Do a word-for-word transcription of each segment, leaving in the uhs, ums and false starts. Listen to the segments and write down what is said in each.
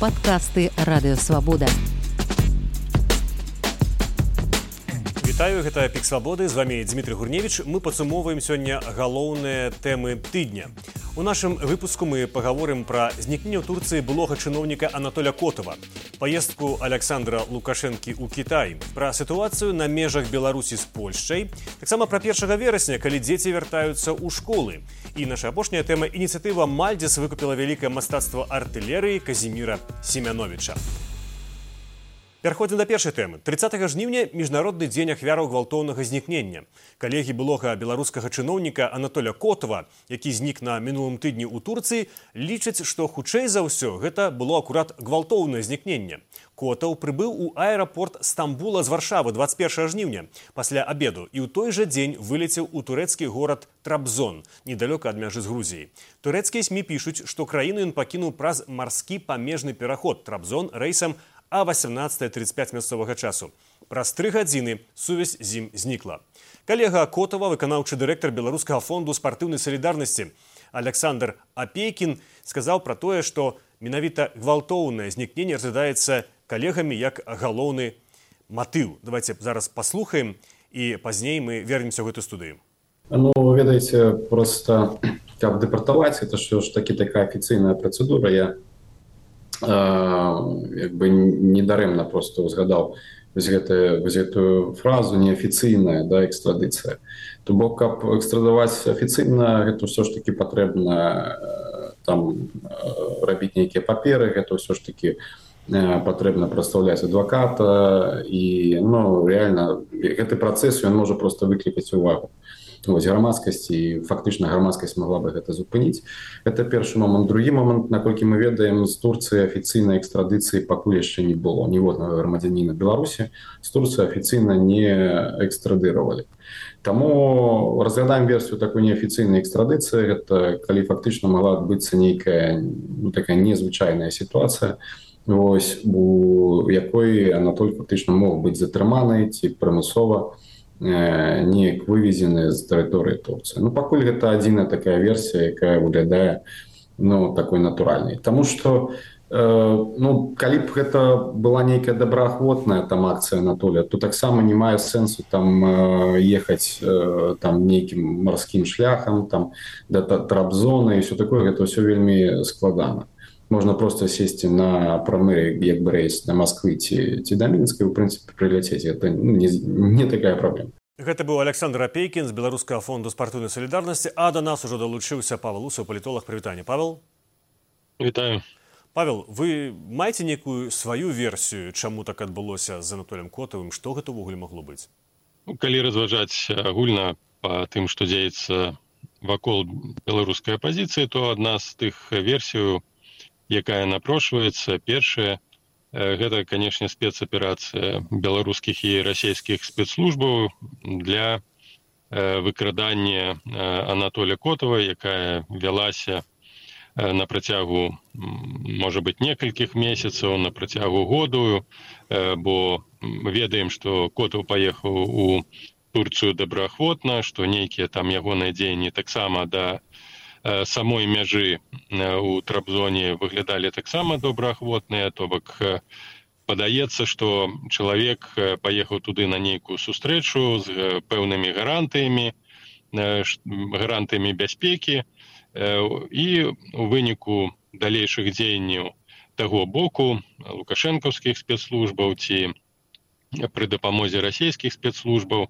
Падкасты Радыёвабода. Вітаю, гэта Пік Свабоды, з вами Дмітрий Гурневіч. Мы падсумоўваем сёння галоўныя тэмы тыдня. У нашым выпуску мы паговорым пра знікненне ў Турцыі былога чыноўніка Анатоля Котова, паездку Александра Лукашэнкі ў Кітай, пра сітуацыю на межах Беларусі з Польшчай, таксама пра першага верасня, калі дзеці вяртаюцца ў школы. І наша апошняя тэма – ініцыятыва Мальдзіс выкупіла вялікае мастацтва артылерыі Казіміра Семяновіча. Пераходзім да першай тэмы. трыццатага жніўня – міжнародны дзень ахвяраў гвалтоўнага знікнення. Калегі былога беларускага чыноўніка Анатоля Котова, які знік на мінулым тыдні ў Турцыі, лічаць, што хутчэй за ўсё гэта было акурат гвалтоўнае знікненне. Котаў прыбыў у аэрапорт Стамбула з Варшавы дваццаць першага жніўня пасля абеду і ў той жа дзень вылецеў у турэцкі горад Трабзон, недалёка ад мяжы з Грузіяй. Турэцкія СМІ пішуць, што краіну ён пакінуў праз марскі памежны пераход Трабзон рэйсам а васямнаццатая трыццаць пяць мясцовага часу. Праз тры гадзіны сувязь з ім знікла. Калега Котова, выканаўчы дырэктар Беларускага фонду спартыўнай салідарнасці Александр Апейкін, сказаў пра тое, што менавіта гвалтоўнае знікненне разглядаецца калегамі як галоўны матыў. Давайте зараз паслухаем і пазней мы вернемся ў гэту студыю. Ну, ведаеце, просто каб дэпартаваць, это ж такі такая афіцыйная працэдура. Я як бы недарэмна просто узгадаў вось гэтую фразу неафіцыйная, да, экстрадыцыя. То бок, каб экстрадаваць афіцыйна, гэта ўсё ж такі патрэбна там рабіць нейкія паперы, гэта ўсё ж такі патрэбна прадстаўляць адваката, і ну реально гэты працэс ён можа просто выклікаць увагу вось грамадскасці, і фактычна грамадскасць магла бы гэта зупыніць. Гэта першы момант. Другі момант, наколькі мы ведаем, з Турцыі афіцыйнай экстрадыцыі пакуль яшчэ не было ніводнага грамадзяніна Беларусі, з Турцыі афіцыйна не экстрадыравалі. Таму разглядаем версію такой неафіцыйнай экстрадыцыі. Гэта калі фактычна магла адбыцца нейкая ну, такая незвычайная сітуацыя, вось у якой Анатоль фактычна мог быць затрыманы ці прымусова неяк вывезены з тэрыторыі Турцыі. Ну, пакуль гэта адзіная такая версія, якая выглядае ну, такой натуральнай. Таму што э, ну, калі б гэта была нейкая добраахвотная там акцыя Анатоля, то таксама не мае сэнсу там э, ехаць э, там нейкім марскім шляхам, там да Трабзона і ўсё такое, гэта ўсё вельмі складана. Можна просто сесці на прамы як бы рэйс на Масквы ці, ці да Мінска, у прынцыпе прыляцець. Гэта ну, не, не такая праблема. Гэта быў Александр Апейкін з Беларускага фонду спартыўнай салідарнасці, а да нас ужо далучыўся Павел Усаў, палітолог. Прывітанне, Павел. Вітаю. Павел, вы маеце нейкую сваю версію, чаму так адбылося з Анатолем Котавым, што гэта ўвогуле магло быць? Калі разважаць агульна па тым, што дзеецца вакол беларускай апазіцыі, то адна з тых версій, якая напрошваецца, першая, гэта, канешне, спецаперацыя беларускіх і расійскіх спецслужбаў для выкрадання Анатоля Котова, якая вялася на працягу, можа быць, некалькіх месяцаў, на працягу году, бо ведаем, што Котов паехаў у Турцыю добраахвотна, што нейкія там ягоныя дзеянні таксама да самой мяжы у Трабзоне выглядалі таксама добраахвотныя, то бок падаецца, што чалавек паехаў туды на нейкую сустрэчу з пэўнымі гарантыямі, гарантыямі бяспекі, і у выніку далейшых дзеянняў таго боку лукашэнкаўскіх спецслужбаў ці пры дапамозе расійскіх спецслужбаў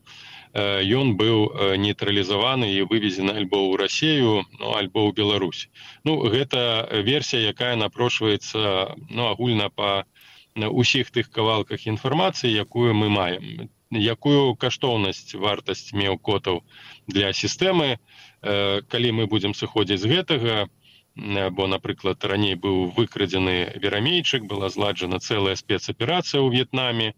ён быў нейтралізаваны і вывезены альбо ў Расію, ну, альбо ў Беларусь. Ну, гэта версія, якая напрошваецца ну, агульна па ўсіх тых кавалках інфармацыі, якую мы маем. Якую каштоўнасць, вартасць меў Котаў для сістэмы, калі мы будзем сыходзіць з гэтага, бо, напрыклад, раней быў выкрадзены Верамейчык, была зладжана цэлая спецаперацыя ў В'етнаме,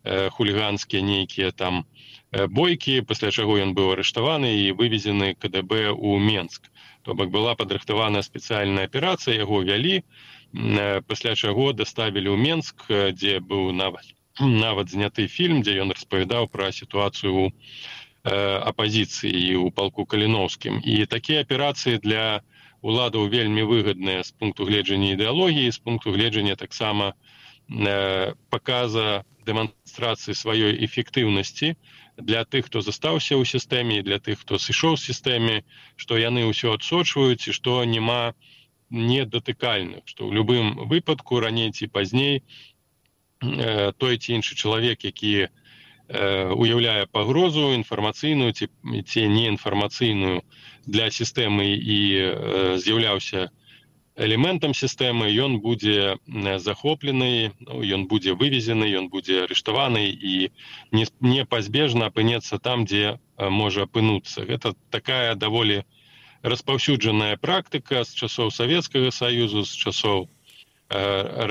хуліганскія нейкія там бойкі, пасля чаго ён быў арыштаваны і вывезены КДБ ў Менск. То бок была падрыхтаваная спецыяльная аперацыя, яго вялі, пасля чаго даставілі ў Менск, дзе быў нават, нават зняты фільм, дзе ён распавядаў пра сітуацыю ў апазіцыі і ў палку Каліноўскім. І такія аперацыі для уладаў вельмі выгадныя з пункту гледжання ідэалогіі, з пункту гледжання таксама э, паказа дэманстрацыі сваёй эфектыўнасці для тых, хто застаўся ў сістэме, для тых, хто сышоў з сістэме, што яны ўсё адсочваюць і што няма недатыкальных, што ў любым выпадку раней ці пазней э, той ці іншы чалавек, які э, уяўляе пагрозу інфармацыйную ці, ці неінфармацыйную для сістэмы і э, з'яўляўся элементам сістэмы, ён будзе захоплены, ну, ён будзе вывезены, ён будзе арыштаваны і непазбежна апынецца там, дзе можа апынуцца. Гэта такая даволі распаўсюджаная практыка з часоў Савецкага Саюзу, з часоў э,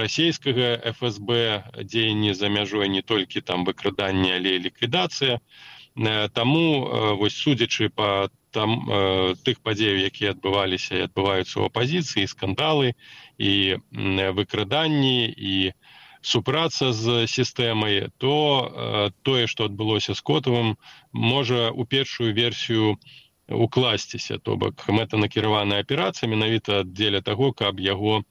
расійскага эф эс бэ, дзеянні за мяжой не толькі там выкрадання, але і ліквідацыя. Э, таму, э, вось судзячы па там э, тых падзеяў, якія адбываліся і адбываюцца ў апазіцыі, скандалы і э, выкраданні і супраца з сістэмай, то э, тое, што адбылося з Котавым, можа у першую версію укласціся, то бок мэтанакіраваная аперацыя менавіта дзеля таго, каб яго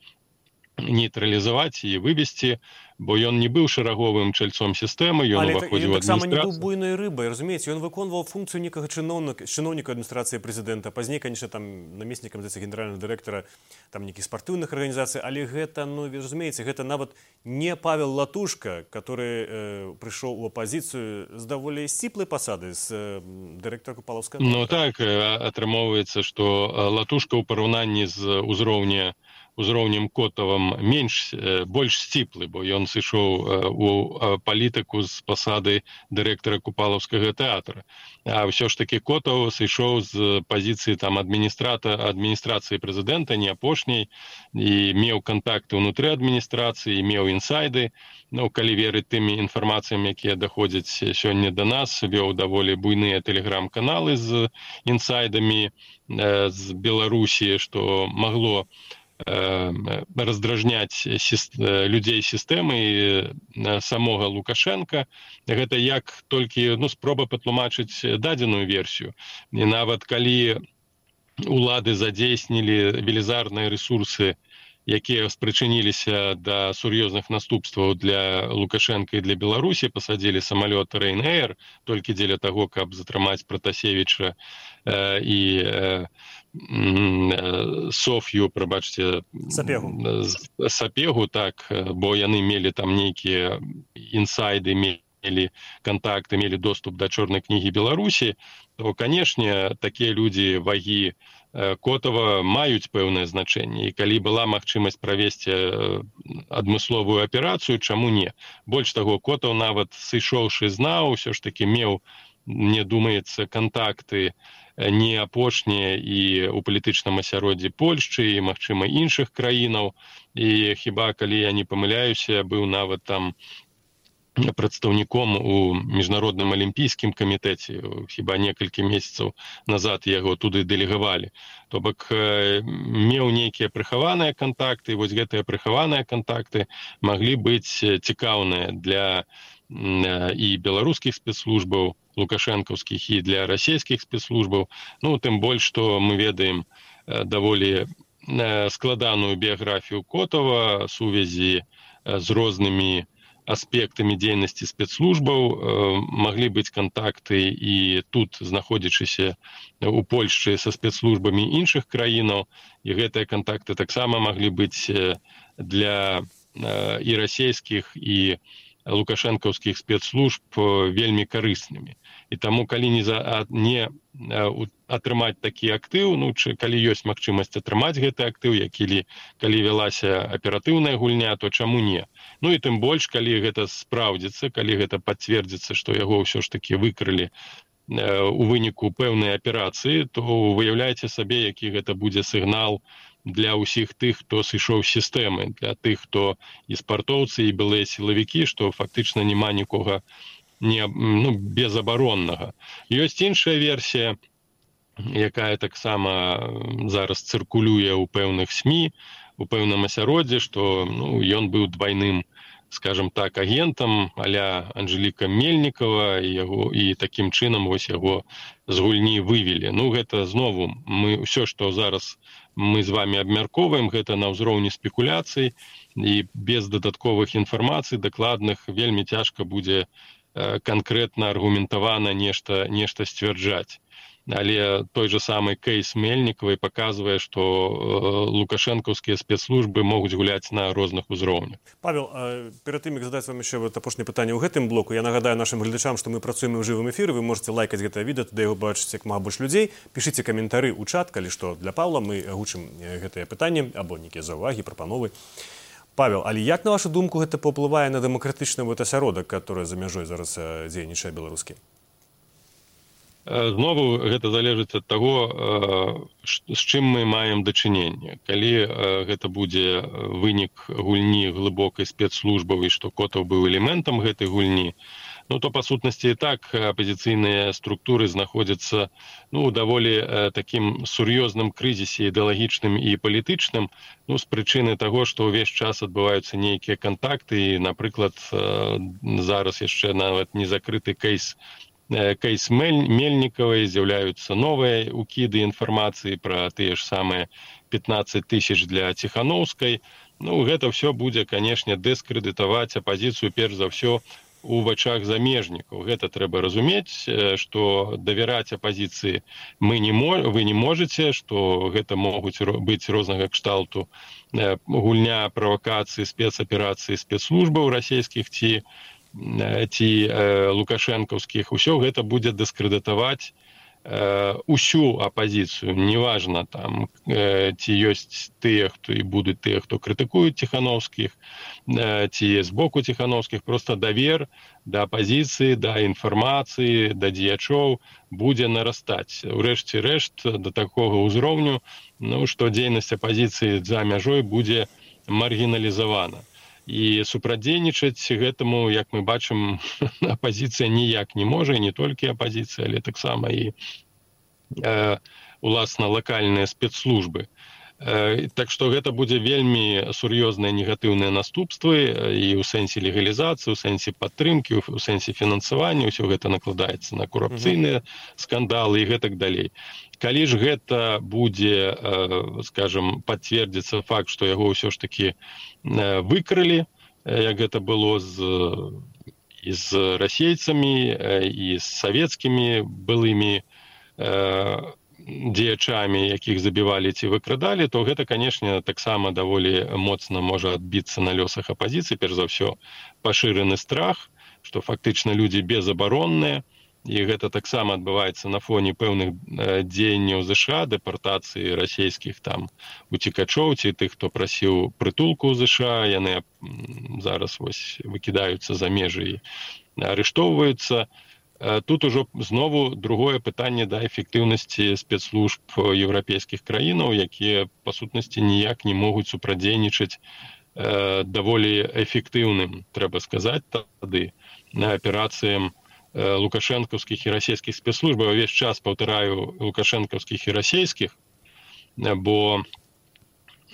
нейтралізаваць і вывесці, бо ён не быў шараговым чальцом сістэмы, ён уваходзіў у адміністрацыю. Але ён таксама не быў буйной рыбай, разумееце, ён выконваў функцыю некага чыноўніка, чыноўніка адміністрацыі прэзідэнта, пазней, конечно, там намеснікам, здаецца, генеральнага дырэктара там нейкіх спартыўных арганізацый, але гэта, ну, вы разумееце, гэта нават не Павел Латушка, который э, прыйшоў у апазіцыю з даволі сціплай пасады, з э, дырэктара Купалаўскага. Ну так, атрымоўваецца, што Латушка ў параўнанні з узроўня узроўнем Котавым менш, больш сціплы, бо ён сышоў у палітыку з пасады дырэктара Купалаўскага тэатра. А ўсё ж такі Котаў сышоў з пазіцыі там адміністрата адміністрацыі прэзідэнта, не апошняй, і меў кантакты ўнутры адміністрацыі, меў інсайды. Ну, калі верыць тымі інфармацыям, якія даходзяць сёння да нас, вёў даволі буйныя тэлеграм-каналы з інсайдамі э, з Беларусі, што магло раздражняць людзей сістэмы і самога Лукашенка. Гэта як толькі ну, спроба патлумачыць дадзеную версію. І нават калі улады задзейснілі велізарныя рэсурсы, якія спрычыніліся да сур'ёзных наступстваў для Лукашенка і для Беларусі, пасадзілі самалёт Ryanair толькі дзеля таго, каб затрымаць Пратасевіча э, і э, Соф'ю, прабачце, Сапегу. Сапегу, так, бо яны мелі там нейкія інсайды, мелі кантакты, мелі доступ да чорнай кнігі Беларусі, то, канешне, такія людзі вагі Котава маюць пэўнае значэнне. І калі была магчымасць правесці адмысловую аперацыю, чаму не? Больш таго, Котаў нават сышоўшы знаў, усё ж такі меў, мне думаецца, кантакты не апошнія і ў палітычным асяроддзі Польшчы і, магчыма, іншых краінаў. І хіба, калі я не памыляюся, быў нават там прадстаўніком у міжнародным алімпійскім камітэце. Хіба некалькі месяцаў назад яго туды дэлегавалі. То бок меў нейкія прыхаваныя кантакты, і вось гэтыя прыхаваныя кантакты маглі быць цікаўныя для і беларускіх спецслужбаў, лукашэнкаўскіх, і для расійскіх спецслужбаў. Ну, тым больш, што мы ведаем даволі складаную біяграфію Котава, сувязі з рознымі аспектамі дзейнасці спецслужбаў, маглі быць кантакты і тут, знаходзячыся у Польшчы са спецслужбамі іншых краінаў, і гэтыя кантакты таксама маглі быць для і расійскіх, і лукашэнкаўскіх спецслужб вельмі карыснымі. І таму, калі не, за, не атрымаць такі актыў, ну, чы, калі ёсць магчымасць атрымаць гэты актыў, які, калі вялася аператыўная гульня, то чаму не? Ну і тым больш, калі гэта спраўдзіцца, калі гэта пацвердзіцца, што яго ўсё ж такі выкрылі у выніку пэўнай аперацыі, то выяўляеце сабе, які гэта будзе сігнал для ўсіх тых, хто сышоў з сістэмы, для тых, хто і спартоўцы, і былыя сілавікі, што фактычна няма нікога не, ну, безабароннага. Ёсць іншая версія, якая таксама зараз цыркулюе ў пэўных СМІ, у пэўным асяроддзі, што ну, ён быў двайным, скажем так, агентам а-ля Анжэліка Мельнікава, і, яго, і такім чынам вось яго з гульні вывелі. Ну, гэта знову, мы ўсё, што зараз мы з вами абмяркоўваем, гэта на ўзроўні спекуляцый, і без дадатковых інфармацый дакладных вельмі цяжка будзе канкрэтна аргументавана нешта, нешта сцвярджаць. Але той же самы кейс Мельнікавай паказвае, што лукашэнкаўскія спецслужбы могуць гуляць на розных узроўнях. Павел, перад тым, як задаць вам яшчэ апошняе пытанне ў гэтым блоку, я нагадаю нашым гледачам, што мы працуем у жывым эфіры, вы можете лайкаць гэтае відэа, туды яго бачыць як мага больш людзей, пішыце каментары ў чат, калі што для Павла, мы гучым гэтае пытанне або нейкія заўвагі, прапановы. Павел, але як, на вашу думку, гэта паўплывае на дэмакратычны асяродак, который за мяжой зараз дзейнічае беларускі? Знову гэта залежыць ад таго, з чым мы маем дачыненне. Калі гэта будзе вынік гульні глыбокай спецслужбавай, што Котаў быў элементам гэтай гульні, ну то па сутнасці і так апазіцыйныя структуры знаходзяцца ну, у даволі такім сур'ёзным крызісе ідэалагічным і палітычным, ну, з прычыны таго, што ўвесь час адбываюцца нейкія кантакты, і, напрыклад, зараз яшчэ нават не закрыты кейс кейс Мельнікавай, з'яўляюцца новыя укіды інфармацыі пра тыя ж самыя пятнаццаць тысяч для Ціханаўскай. Ну, гэта ўсё будзе, канешне, дыскрэдытаваць апазіцыю перш за ўсё у вачах замежнікаў. Гэта трэба разумець, што давяраць апазіцыі мы не мо... вы не можаце, што гэта могуць быць рознага кшталту гульня, правакацыі, спецаперацыі спецслужбаў расійскіх ці ці лукашэнкаўскіх, усё гэта будзе дыскрэдытаваць усю апазіцыю. Неважна, там, ці ёсць тыя, хто і будуць тыя, хто крытыкуюць Ціханаўскіх, ці з боку Ціханаўскіх, проста давер да апазіцыі, да інфармацыі, да дзеячоў будзе нарастаць. Урэшце рэшт, да такога ўзроўню, ну, што дзейнасць апазіцыі за мяжой будзе маргіналізавана. І супрадзейнічаць гэтаму, як мы бачым, апазіцыя ніяк не можа, і не толькі апазіцыя, але таксама і э, уласна лакальныя спецслужбы. Э, так што гэта будзе вельмі сур'ёзныя негатыўныя наступствы і ў сэнсе легалізацыі, у сэнсе падтрымкі, у сэнсе фінансавання, ўсё гэта накладаецца на корупцыйныя скандалы і гэтак далей. Калі ж гэта будзе, скажем, пацвердзіцца факт, што яго ўсё ж такі выкрылі, як гэта было з, і з расейцамі, і з савецкімі былымі дзеячамі, якіх забівалі ці выкрадалі, то гэта, канешне, таксама даволі моцна можа адбіцца на лёсах апазіцыі. Перш за ўсё, пашыраны страх, што фактычна людзі безабаронныя, і гэта таксама адбываецца на фоне пэўных дзеянняў ЗША, дэпартацыі расійскіх там уцекачоў ці тых, хто прасіў прытулку ў ЗША, яны зараз вось выкідаюцца за межы і арыштоўваюцца. Тут ужо знову другое пытанне да эфектыўнасці спецслужб еўрапейскіх краінаў, якія па сутнасці ніяк не могуць супрадзейнічаць даволі эфектыўным, трэба сказаць тады, на аперацыям лукашэнкаўскіх і расійскіх спецслужбаў. Увесь час паўтараю лукашэнкаўскіх і расійскіх, бо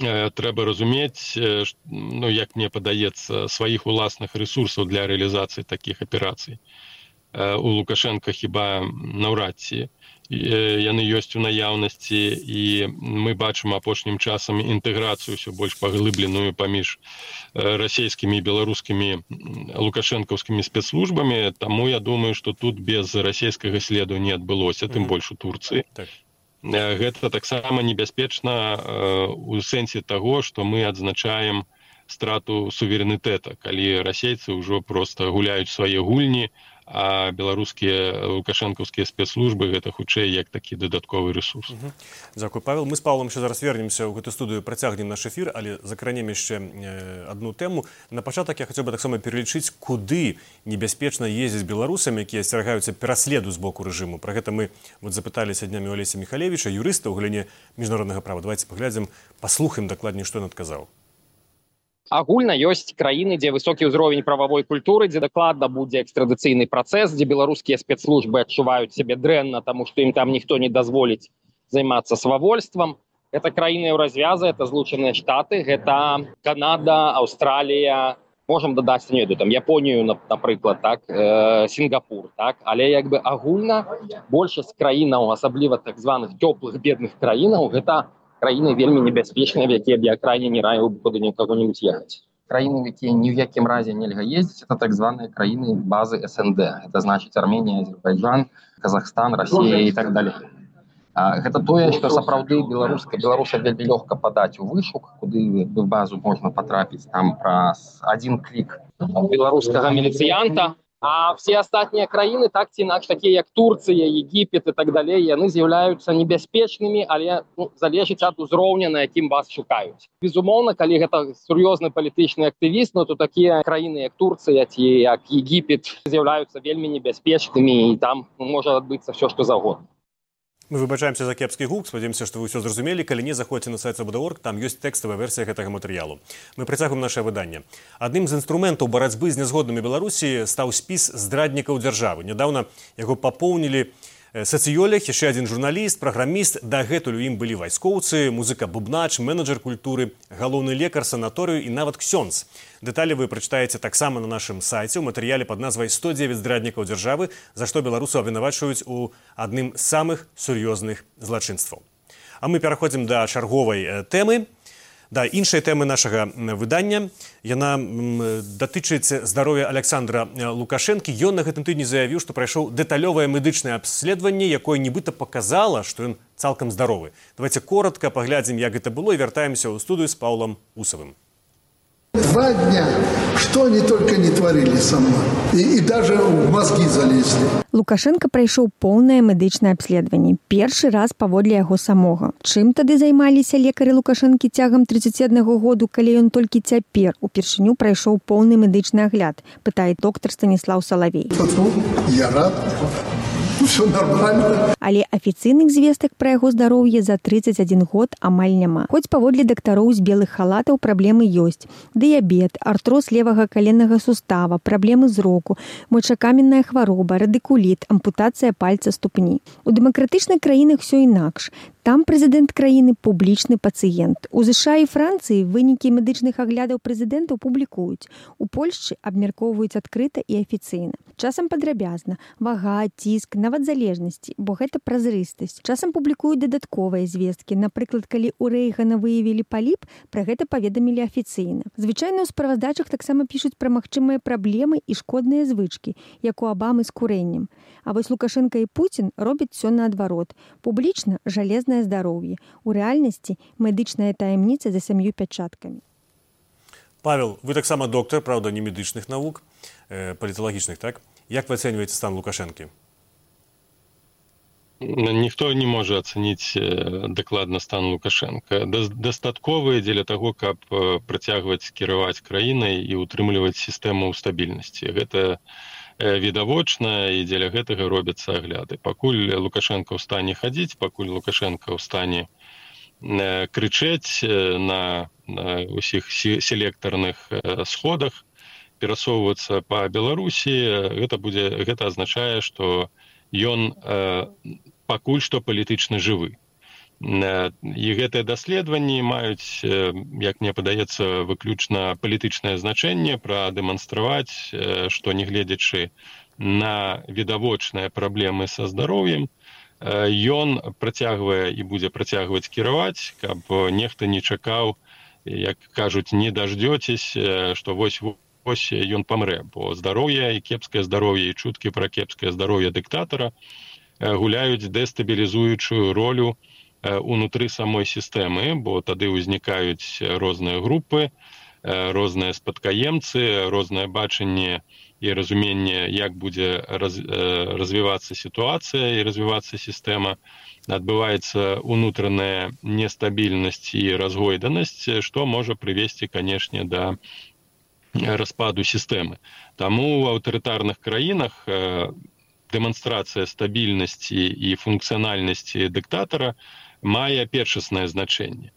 трэба разумець, ну, як мне падаецца, сваіх уласных рэсурсаў для рэалізацыі такіх аперацый. У Лукашэнка хіба наўрад ці яны ёсць у наяўнасці, і мы бачым апошнім часам інтэграцыю ўсё больш паглыбленую паміж расійскімі і беларускімі лукашэнкаўскімі спецслужбамі, таму я думаю, што тут без расійскага следу не адбылося, тым больш у Турцыі. Гэта таксама небяспечна у сэнсе таго, што мы адзначаем страту суверэнітэта, калі расейцы ўжо проста гуляюць свае гульні, а беларускія лукашэнкаўскія спецслужбы гэта хутчэй як такі дадатковы рэсурс. Угу. Дзякуй, Павел. Мы з Павлом яшчэ зараз вернемся ў гэту студыю, працягнем наш эфір, але закранем яшчэ адну тэму. На пачатак я хацеў бы таксама пералічыць, куды небяспечна ездзіць беларусамі, якія асцерагаюцца пераследу з боку рэжыму. Пра гэта мы вот запыталіся днямі у Алеся Міхалевіча, юрыста ў галіне міжнароднага права. Давайте паглядзім, паслухаем дакладней, што ён адказаў. Агульна ёсць краіны, дзе высокі ўзровень прававой культуры, дзе дакладна будзе экстрадыцыйны працэс, дзе беларускія спецслужбы адчуваюць сябе дрэнна, таму што ім там ніхто не дазволіць займацца свавольствам. Гэта краіны Еўразвяза, гэта Злучаныя Штаты, гэта Канада, Аўстралія, можам дадаць, не ведаю, там Японію, напрыклад, так, э, Сінгапур, так, але як бы агульна большасць краінаў, асабліва так званых цёплых бедных краінаў, гэта краіны вельмі небяспечныя, в якія б я крайне не раіў куды нікого-нибудь ехаць. Краіны, в якія ні в якім разе нельга ездзіць, это так званыя краіны базы эс эн дэ. Это значыць Арменія, Азербайджан, Казахстан, Россия і так далее. А, гэта тое, што сапраўды беларуска беларуса вельмі лёгка падаць у вышук, куды в базу можна патрапіць там праз адзін клік беларускага міліцыянта. А все астатнія краіны, так ці інакш, такія як Турцыя, Егіпет і так далей, яны з'яўляюцца небяспечнымі, але ну, залежыць ад узроўня, на якім вас шукаюць. Безумоўна, калі гэта сур'ёзны палітычны актывіст, ну, то такія краіны, як Турцыя ці як Егіпет, з'яўляюцца вельмі небяспечнымі, і там можа адбыцца все, што заўгодна. Мы выбачаемся за кепскі гук, спадзяемся, што вы ўсё зразумелі. Калі не, заходзьце на сайт свабода точка орг, там ёсць тэкставая версія гэтага матэрыялу. Мы працягваем нашае выданне. Адным з інструментаў барацьбы з нязгоднымі Беларусі стаў спіс здраднікаў дзяржавы. Нядаўна яго папоўнілі сацыёлог, яшчэ адзін журналіст, праграміст, дагэтуль у ім былі вайскоўцы, музыка-бубнач, менеджер культуры, галоўны лекар санаторыю і нават ксёндз. Дэталі вы прачытаеце таксама на нашым сайце ў матэрыяле пад назвай сто дзевяць здраднікаў дзяржавы, за што беларусу абвінавачваюць у адным з самых сур'ёзных злачынстваў. А мы пераходзім да чарговай тэмы. Да, іншай тэмы нашага выдання. Яна датычыць здароўя Александра Лукашэнкі. Ён на гэтым тыдні заявіў, што прайшоў дэталёвае медычнае абследаванне, якое нібыта паказала, што ён цалкам здаровы. Давайте коротко паглядзім, як гэта было, і вяртаемся ў студыю з Паўлам Усавым. Два дня, что они только не творили со мной. И, и даже в мозги залезли. Лукашенко прайшоў поўнае медычнае абследаванне. Першы раз паводле яго самога. Чым тады займаліся лекары Лукашэнкі цягам тридцати аднаго году, калі ён толькі цяпер упершыню прайшоў поўны медычны агляд, пытае доктор Станіслаў Салавей. Фу, я рад. Все нормально. Але афіцыйных звестак пра яго здароўе за тридцать один год амаль няма. Хоць паводле дактароў з белых халатаў праблемы ёсць. Дыябет, артроз левага каленнага сустава, праблемы зроку, мочакаменная хвароба, радыкуліт, ампутацыя пальца ступні. У дэмакратычных краінах все інакш. Там прэзідэнт краіны публічны пацыент. У ЗША і Францыі вынікі медычных аглядаў прэзідэнтаў публікуюць. У Польшчы абмяркоўваюць адкрыта і афіцыйна. Часам падрабязна, вага, ціск, нават залежнасці, бо гэта празрыстасць. Часам публікуюць дадатковыя звесткі. Напрыклад, калі ў Рэйгана выявілі паліп, пра гэта паведамілі афіцыйна. Звычайна ў справаздачах таксама пішуць пра магчымыя праблемы і шкодныя звычкі, як у Абамы з курэннем. А вось Лукашенко і Пуцін робяць усё наадварот. Публічна жалезнае здароўе. У рэальнасці медычная таямніца за сям'ю пячаткамі. Павел, вы таксама доктар, правда, не медычных навук, э, паліталагічных, так? Як вы ацэньваеце стан Лукашэнкі? Ніхто не можа ацаніць дакладна стан Лукашенка. Дастатковы дзеля таго, каб працягваць кіраваць краінай і утрымліваць сістэму стабільнасці. Гэта відавочна, і дзеля гэтага робяцца агляды. Пакуль Лукашенко ў стане хадзіць, пакуль Лукашенко ў стане крычэць на ўсіх селектарных сходах, перасоўвацца па Беларусі, гэта будзе, гэта азначае, што ён пакуль што палітычна жывы. І гэтыя даследаванні маюць, як мне падаецца, выключна палітычнае значэнне, прадэманстраваць, што нягледзячы на відавочныя праблемы са здароўем, ён працягвае і будзе працягваць кіраваць, каб нехта не чакаў, як кажуць, не даждёцесь, што вось вось ён памрэ, бо здароўе і кепскае здароўе і чуткі пра кепскае здароўе дыктатара гуляюць дэстабілізуючую ролю унутры самой сістэмы, бо тады ўзнікаюць розныя групы, розныя спадкаемцы, рознае бачанне і разуменне, як будзе раз, развівацца сітуацыя і развівацца сістэма. Адбываецца унутраная нестабільнасць і разгойданасць, што можа прывесці, канешне, да распаду сістэмы. Таму ў аўтарытарных краінах дэманстрацыя стабільнасці і функцыянальнасці дыктатара мае першаснае значэнне.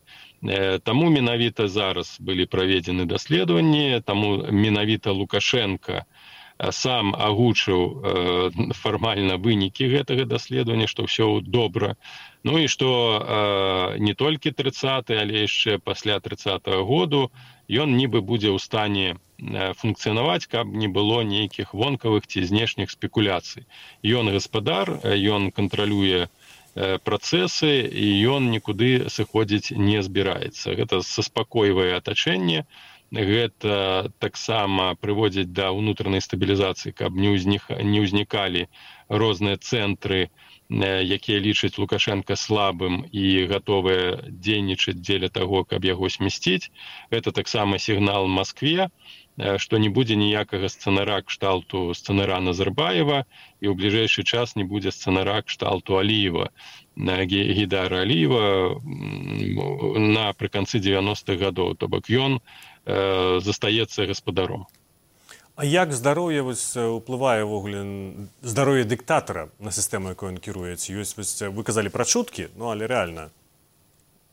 Таму менавіта зараз былі праведзены даследаванні, таму менавіта Лукашенко сам агучыў фармальна вынікі гэтага даследавання, што ўсё добра. Ну і што не толькі трыццаты, але яшчэ пасля трыццатага году ён нібы будзе ў стане функцыянаваць, каб не было нейкіх вонкавых ці знешніх спекуляцый. Ён гаспадар, ён кантралюе працэсы, і ён нікуды сыходзіць не збіраецца. Гэта саспакойвае атачэнне, гэта таксама прыводзіць да ўнутранай стабілізацыі, каб не ўзнікалі розныя цэнтры, якія лічаць Лукашенка слабым і гатовыя дзейнічаць дзеля таго, каб яго смясціць. Гэта таксама сігнал Маскве, што не будзе ніякага сцэнара кшталту сцэнара Назарбаева, і ў бліжэйшы час не будзе сцэнара кшталту Аліева, Гейдара Аліева напрыканцы дзевяностых гадоў, то бок ён э, застаецца гаспадаром. А як здароўе ўплывае ўвогуле здароўе дыктатара на сістэму, якой ён кіруецца? Ёсць, вы казалі пра чуткі, ну але рэальна.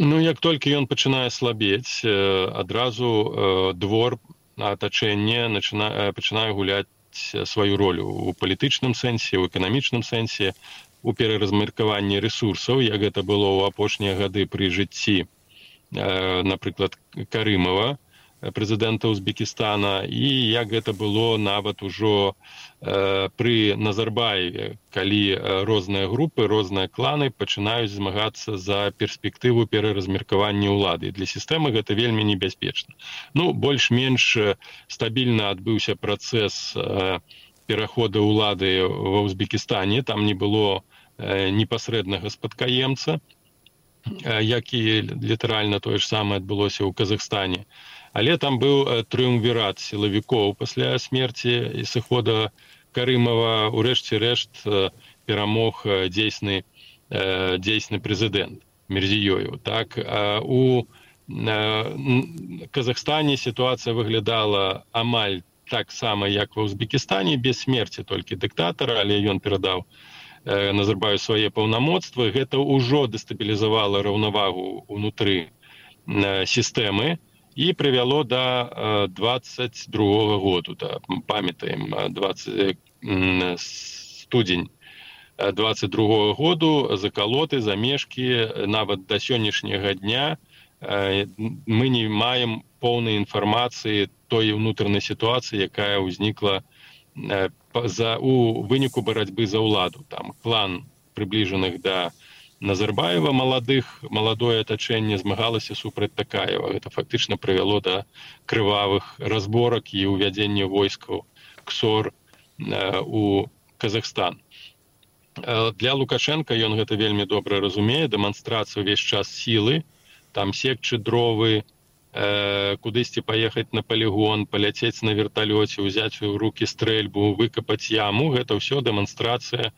Ну, як толькі ён пачынае слабець, адразу двор атачэнне пачынае гуляць сваю ролю у палітычным сэнсе, у эканамічным сэнсе, у пераразмеркаванні рэсурсаў, як гэта было ў апошнія гады пры жыцці, напрыклад, Карымова, прэзідэнта Узбекістана, і як гэта было нават ужо э, пры Назарбаеве, калі розныя групы, розныя кланы пачынаюць змагацца за перспектыву пераразмеркавання ўлады. Для сістэмы гэта вельмі небяспечна. Ну, больш-менш стабільна адбыўся працэс э, пераходу ўлады ва Узбекістане, там не было э, непасрэднага спадкаемца, э, як і літаральна тое ж самае адбылося ў Казахстане. Але там быў трыумвірат сілавікоў пасля смерці і сыхода Карымова, урэшце рэшт перамог дзейсны, дзейсны прэзідэнт Мірзіёеў. Так, у Казахстане сітуацыя выглядала амаль так сама, як ва Узбекістане, без смерці толькі дыктатара, але ён перадаў Назарбаеву свае паўнамоцтвы. Гэта ўжо дэстабілізавала раўнавагу ўнутры сістэмы і прывяло да двадцать другога году, да, памятаем, студзень двадцать другога году, закалоты, замешкі, нават да сённяшняга дня мы не маем поўнай інфармацыі той унутранай сітуацыі, якая ўзнікла за, у выніку барацьбы за ўладу. Там клан прыбліжаных да Назарбаева маладых, маладое атачэнне змагалася супраць Такаева. Гэта фактычна прывяло да крывавых разборак і ўвядзення войскаў КСОР у Казахстан. Для Лукашенка ён гэта вельмі добра разумее, дэманстрацыя ўвесь час сілы, там секчы дровы, кудысьці паехаць на палігон, паляцець на верталёце, узяць у рукі стрэльбу, выкапаць яму, гэта ўсё дэманстрацыя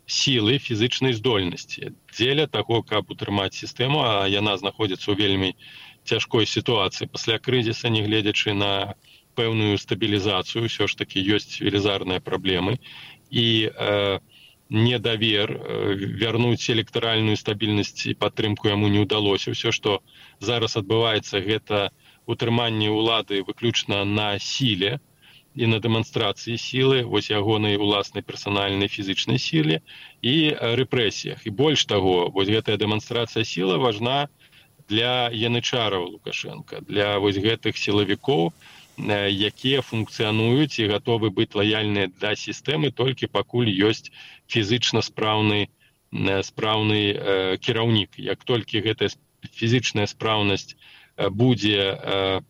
сілы, фізычнай здольнасці. Дзеля таго, каб утрымаць сістэму, а яна знаходзіцца ў вельмі цяжкой сітуацыі. Пасля крызіса, не гледзячы на пэўную стабілізацыю, ўсё ж такі ёсць велізарныя праблемы. І э, недавер, э, вярнуць электаральную стабільнасць і падтрымку яму не ўдалося. Ўсё, што зараз адбываецца, гэта утрыманне ўлады выключна на сіле, і на дэманстрацыі сілы, вось ягонай уласнай персанальнай фізычнай сіле і рэпрэсіях. І больш таго, вось гэтая дэманстрацыя сілы важна для янычараў Лукашенка, для вось гэтых сілавікоў, якія функцыянуюць і гатовы быць лаяльныя да сістэмы толькі пакуль ёсць фізычна спраўны, спраўны э, кіраўнік. Як толькі гэтая фізічная спраўнасць будзе э,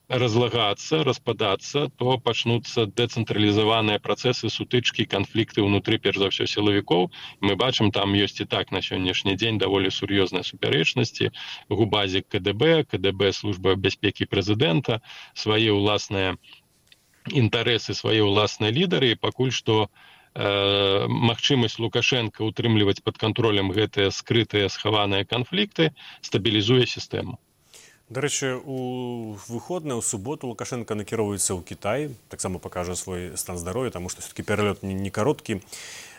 разлагацца, распадацца, то пачнуцца дэцэнтралізаваныя працэсы, сутычкі, канфлікты ўнутры, перш за ўсё, сілавікоў. Мы бачым, там ёсць і так на сённяшні дзень даволі сур'ёзныя супярэчнасці. Губазік КДБ, КДБ, служба бяспекі прэзідэнта, свае ўласныя інтарэсы, свае ўласныя лідары, і пакуль што э, магчымасць Лукашенка утрымліваць пад кантролем гэтыя скрытыя, схаваныя канфлікты стабілізуе сістэму. Дарэчы, у выходныя, у суботу Лукашенко накіроўваецца ў Кітай, таксама пакажа свой стан здароўя, таму што все-таки пералёт не кароткі.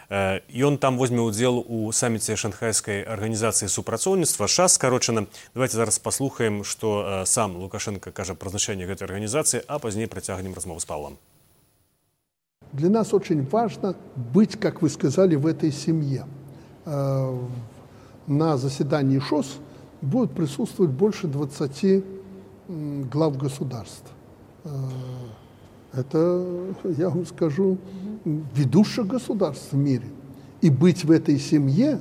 Ён там возьме ўдзел у саміце шанхайскай арганізацыі супрацоўніцтва, ШАС скарочана. Давайте зараз паслухаем, што сам Лукашенко кажа пра значэнне гэтай арганізацыі, а пазней працягнем размову з Павлом. Для нас очень важно быть, как вы сказали, в этой семье. На заседании ШОС будет присутствовать больше двадцати глав государств. Это, я вам скажу, ведущих государств в мире. И быть в этой семье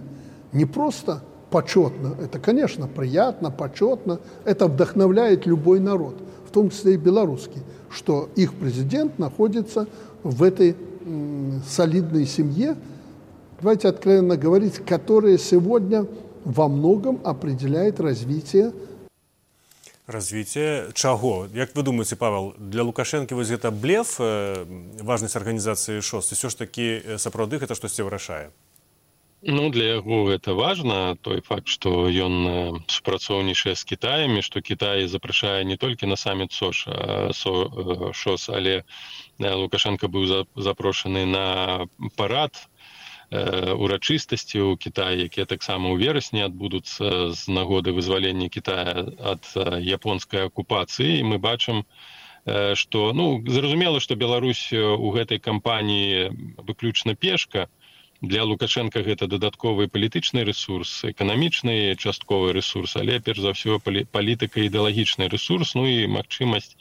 не просто почетно, это, конечно, приятно, почетно, это вдохновляет любой народ, в том числе и белорусский, что их президент находится в этой м, солидной семье, давайте откровенно говорить, которая сегодня во многом определяет развитие. Развитие чаго? Як вы думаете, Павел, для Лукашенко вось гэта блеф, э, важнасць арганізацыі шост, і все ж таки сапраўды гэта штосьці вырашае? Ну, для яго гэта важна, той факт, што ён супрацоўнічае з Кітаем, што Кітай запрашае не толькі на саміт СОШ, а ШОС, але Лукашенко быў запрошаны на парад урачыстасці ў Кітаі, якія таксама ў верасні адбудуцца з нагоды вызвалення Кітая ад японскай акупацыі. І мы бачым, што, ну, зразумела, што Беларусь у гэтай кампаніі выключна пешка. Для Лукашенка гэта дадатковы палітычны рэсурс, эканамічны частковы рэсурс, але перш за ўсё палітыка ідэалагічны рэсурс, ну і магчымасць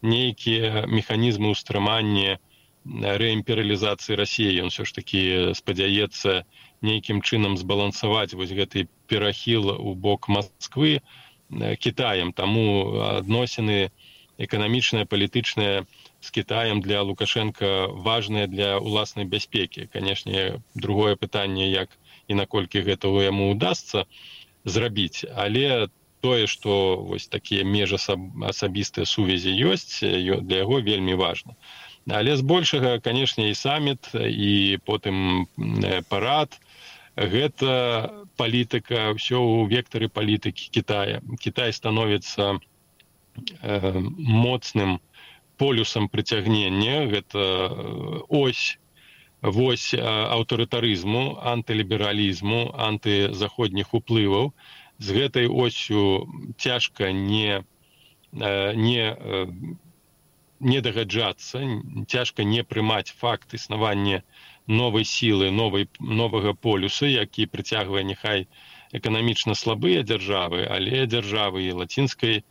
нейкія механізмы ўстрымання рэімперыялізацыі Расіі. Ён все ж такі спадзяецца нейкім чынам збалансаваць вось гэты перахіл у бок Масквы Кітаем. Таму адносіны эканамічныя, палітычныя з Кітаем для Лукашенка важныя для ўласнай бяспекі. Канешне, другое пытанне, як і наколькі гэта яму удасца зрабіць, але тое, што вось такія межасабістыя сувязі ёсць, для яго вельмі важна. Але збольшага, канешне, і саміт, і потым парад, гэта палітыка, ўсё ў вектары палітыкі Кітая. Кітай становіцца э, моцным полюсам прыцягнення, гэта ось, вось аўтарытарызму, антылібералізму, антызаходніх уплываў. З гэтай осью цяжка не, не, не дагаджацца, цяжка не прымаць факт існавання новай сілы, новай, новага полюса, які прыцягвае няхай эканамічна слабыя дзяржавы, але дзяржавы і лацінскай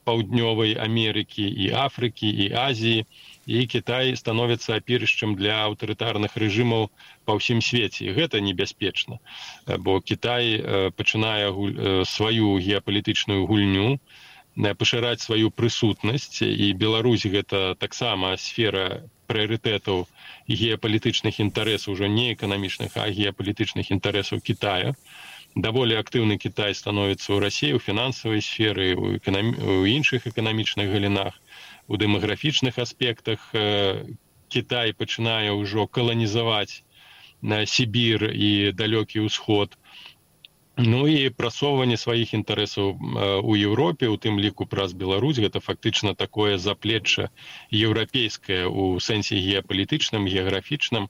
Паўднёвай Амерыкі, і Афрыкі, і Азіі, і Кітай становіцца апірышчам для аўтарытарных рэжымаў па ўсім свеце. І гэта небяспечна, бо Кітай пачынае сваю геапалітычную гульню, пашыраць сваю прысутнасць, і Беларусь гэта таксама сфера прыярытэтаў геапалітычных інтарэсаў, ужо не эканамічных, а геапалітычных інтарэсаў Кітая. Даволі актыўны Кітай становіцца ў Расіі, у фінансавай сферы, у, эканам... у іншых эканамічных галінах, у дэмаграфічных аспектах. Кітай пачынае ўжо каланізаваць Сібір і далёкі ўсход. Ну і прасоўванне сваіх інтарэсаў у Еўропе, у тым ліку праз Беларусь, гэта фактычна такое заплечча еўрапейскае ў сэнсе геапалітычным, геаграфічным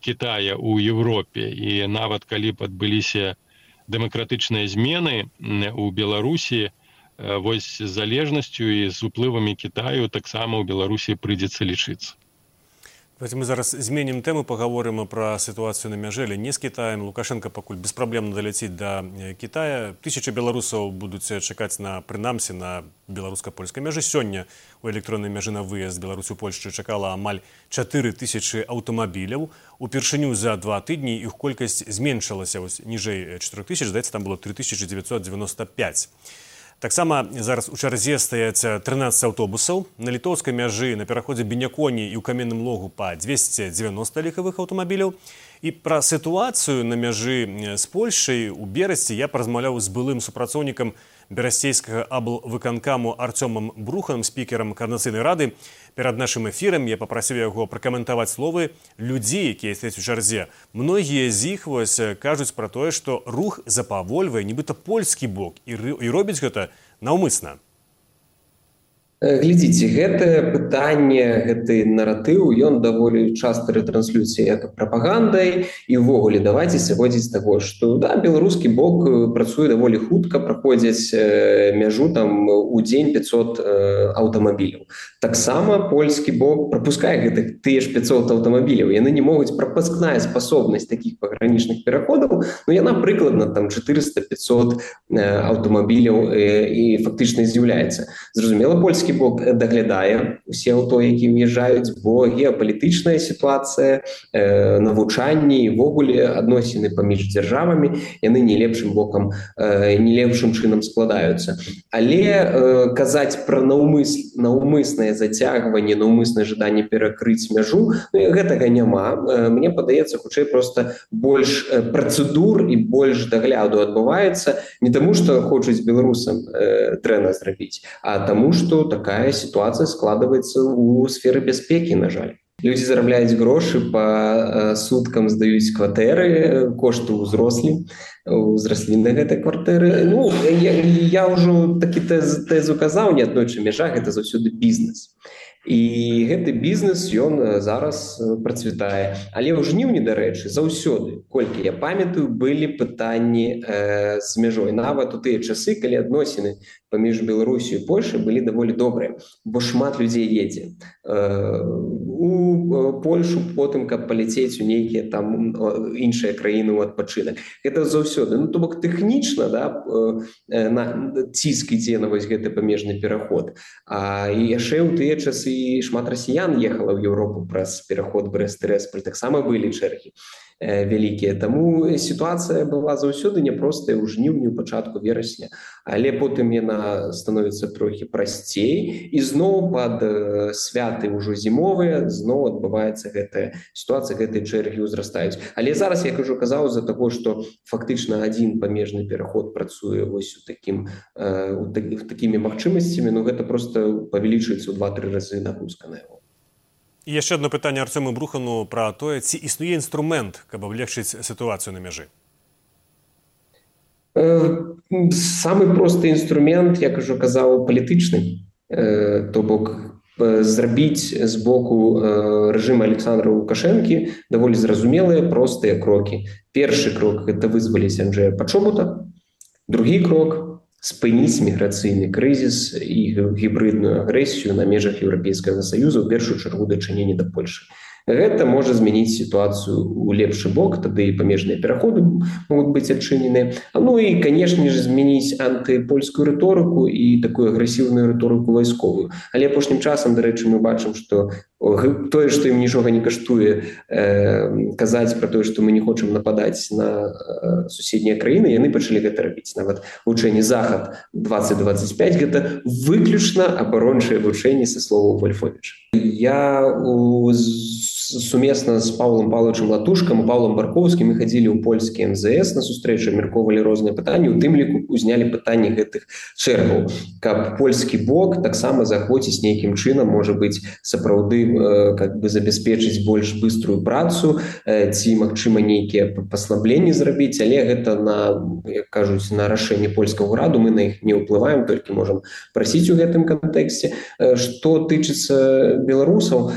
Кітая ў Еўропе. І нават калі б адбыліся дэмакратычныя змены у Беларусі, вось з залежнасцю і з уплывамі Кітаю таксама ў Беларусі прыйдзецца лічыцца. Давайте мы зараз зменім тэму, паговорым пра сітуацыю на мяжы, але не з Кітаем. Лукашенко пакуль беспраблемна даляціць да Кітая. Тысячы беларусаў будуць чакаць на, прынамсі, на беларуска-польскай мяжы. Сёння у электроннай мяжы на выезд Беларусі ў Польшчу чакала амаль чатыры тысячы аўтамабіляў. Упершыню за два тыдні іх колькасць зменшылася ніжэй чатырох тысяч, здаецца, там было тры тысячы дзевяцьсот дзевяноста пяць. Таксама зараз у чарзе стаяць трынаццаць аўтобусаў. На літоўскай мяжы на пераходзе Беняконі і ў Каменным Логу па дзвесце дзевяноста легкавых аўтамабіляў. І пра сітуацыю на мяжы з Польшай у берасці я паразмаўляў з былым супрацоўнікам берасцейскага аблвыканкаму Артёмам Бруханым, спікерам Коордынацыйнай рады. Перад нашым эфірам я папрасіў яго пракаментаваць словы людзей, якія стаяць у чарзе. Многія з іх вось кажуць пра тое, што рух запавольвае нібыта польскі бок і робіць гэта наўмысна. Глядзіце, гэтае пытанне, гэты наратыў, ён даволі часта рэтранслюецца як прапагандай, і ўвогуле давайце сыходзіць з таго, што да, беларускі бок працуе даволі хутка, праходзяць мяжу там у дзень пяцьсот аўтамабіляў. Таксама польскі бок прапускае гэтых тыя ж пяцьсот аўтамабіляў. Яны не могуць, прапускная спасобнасць такіх пагранічных пераходаў, ну яна прыкладна там чатырыста-пяцьсот аўтамабіляў і фактычна з'яўляецца. Зразумела, польскі беларускі бок даглядае усе аўто, які ўязджаюць, бо геапалітычная сітуацыя, э, навучанні і ввогуле адносіны паміж дзяржавамі яны не лепшым бокам, э, не лепшым чынам складаюцца. Але э, казаць пра наўмыс, наўмыснае зацягванне, наўмыснае жаданне перакрыць мяжу, ну, гэтага няма. Э, мне падаецца, хутчэй проста больш э, працэдур і больш дагляду адбываецца не таму, што хочуць беларусам э, дрэнна зрабіць, а таму, што такая сітуацыя складваецца ў сферы бяспекі, на жаль. Людзі зарабляюць грошы, па э, суткам здаюць кватэры, кошты ўзрослі, ўзраслі на гэтай кватэры. Ну, я, я ўжо такі тэз, тэзу казаў, неаднойчы мяжа, гэта заўсёды бізнес. І гэты бізнес, ён зараз працвітае. Але ў жніўні, дарэчы, заўсёды, колькі я памятаю, былі пытанні э, з мяжой. Нават у тыя часы, калі адносіны паміж Беларусью і Польшай былі даволі добрыя, бо шмат людзей едзе э, у Польшу потым, каб паляцець у нейкія там іншыя краіны ў адпачынак. Гэта заўсёды. Ну, то бок тэхнічна, да, э, на ціск ідзе на вось гэты памежны пераход. А і яшчэ ў тыя часы шмат расіян ехала ў Еўропу праз пераход Брэст-Тырасполь, таксама былі чэргі э, вялікія. Таму сітуацыя была заўсёды няпростая ў жніўні, у пачатку верасня, але потым яна становіцца трохі прасцей, і зноў пад э, святы ўжо зімовыя зноў адбываецца гэтая сітуацыя, гэтыя чэргі ўзрастаюць. Але зараз, як ужо казаў, з-за таго, што фактычна адзін памежны пераход працуе вось у такім, э, у такі, такімі магчымасцямі, ну гэта проста павялічваецца ў два-тры разы нагрузка на яго. І яшчэ одно пытанне Арцёму Брухану пра тое, ці існуе інструмент, каб аблегчыць сітуацыю на мяжы? Самы просты інструмент, як ужо казаў, палітычны. То бок зрабіць з боку рэжыма Александра Лукашэнкі даволі зразумелыя, простыя крокі. Першы крок – гэта вызваліць Анджэя Пачобута. Другі крок – спыніць міграцыйны крызіс і гібридную агрэсію на межах Еўрапейскага Саюза, у першую чаргу дачыненне да Польшы. Гэта можа змяніць сітуацыю ў лепшы бок, тады і памежныя пераходы могуць быць адчынены. Ну і, канешне ж, змяніць антыпольскую рыторыку і такую агрэсіўную рыторыку вайсковую. Але апошнім часам, дарэчы, мы бачым, што тое, што ім нічога не каштуе э, казаць пра тое, што мы не хочам нападаць на э, суседнія краіны, яны пачалі гэта рабіць. Нават вучэнне «Захад двадцать двадцать пять» гэта выключна абарончае вучэнне са словаў Вольфовіча. Я у сумесна з Паўлам Павловичам Латушкам і Паўлам Баркоўскім мы хадзілі ў польскі эм зэ эс на сустрэчу, абмяркоўвалі розныя пытанні, у тым ліку узнялі пытанні гэтых чэргаў, каб польскі бок таксама захвоціць нейкім чынам, можа быць, сапраўды э, как бы забяспечыць больш быструю працу, э, ці, магчыма, нейкія паслабленні зрабіць, але гэта на, як кажуць, на рашэнне польскага ўраду, мы на іх не ўплываем, толькі можам прасіць у гэтым кантэксце. Э, што тычыцца беларусаў,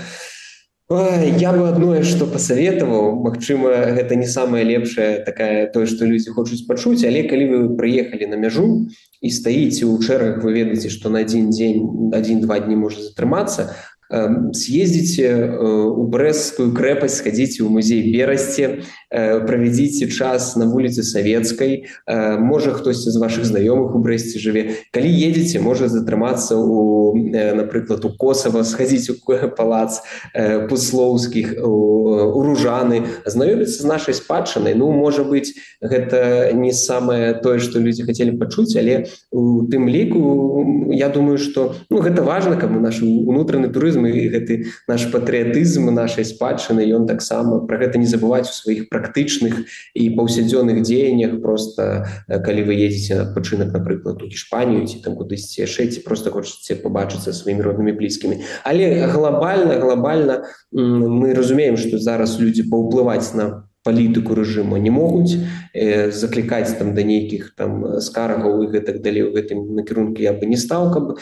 я бы адное, што пасаветаваў, магчыма, гэта не самае лепшае такая тое, што людзі хочуць пачуць, але калі вы прыехалі на мяжу і стаіце ў чэргах, вы ведаеце, што на адзін дзень, адзін-два дні можа затрымацца, съездите у Брэсцкую крэпасць, сходите ў музей Берасці, правядзіце час на вуліцы Савецкай, можа хтосьці з вашых знаёмых у Брэсце жыве. Калі едзеце, можа затрымацца у, напрыклад, у Косава, сходіць у палац Пуслоўскіх, у Ружаны, знаёміцца з нашай спадчынай. Ну, можа быць, гэта не самае тое, што людзі хацелі пачуць, але у тым ліку, я думаю, што ну, гэта важна, каб наш унутраны турызм і гэты наш патрыятызм нашай спадчыны, ён таксама пра гэта не забываць у сваіх практычных і паўсядзённых дзеяннях. Просто калі вы едзеце на адпачынак, напрыклад, у Іспанію ці там кудысьці яшчэ, ці проста хочаце пабачыцца сваімі роднымі блізкімі. Але глобальна, глобальна мы разумеем, што зараз людзі паўплываць на палітыку рэжыму не могуць, э, заклікаць там да нейкіх там скаргаў і гэтак далей у гэтым накірунку я бы не стаў, каб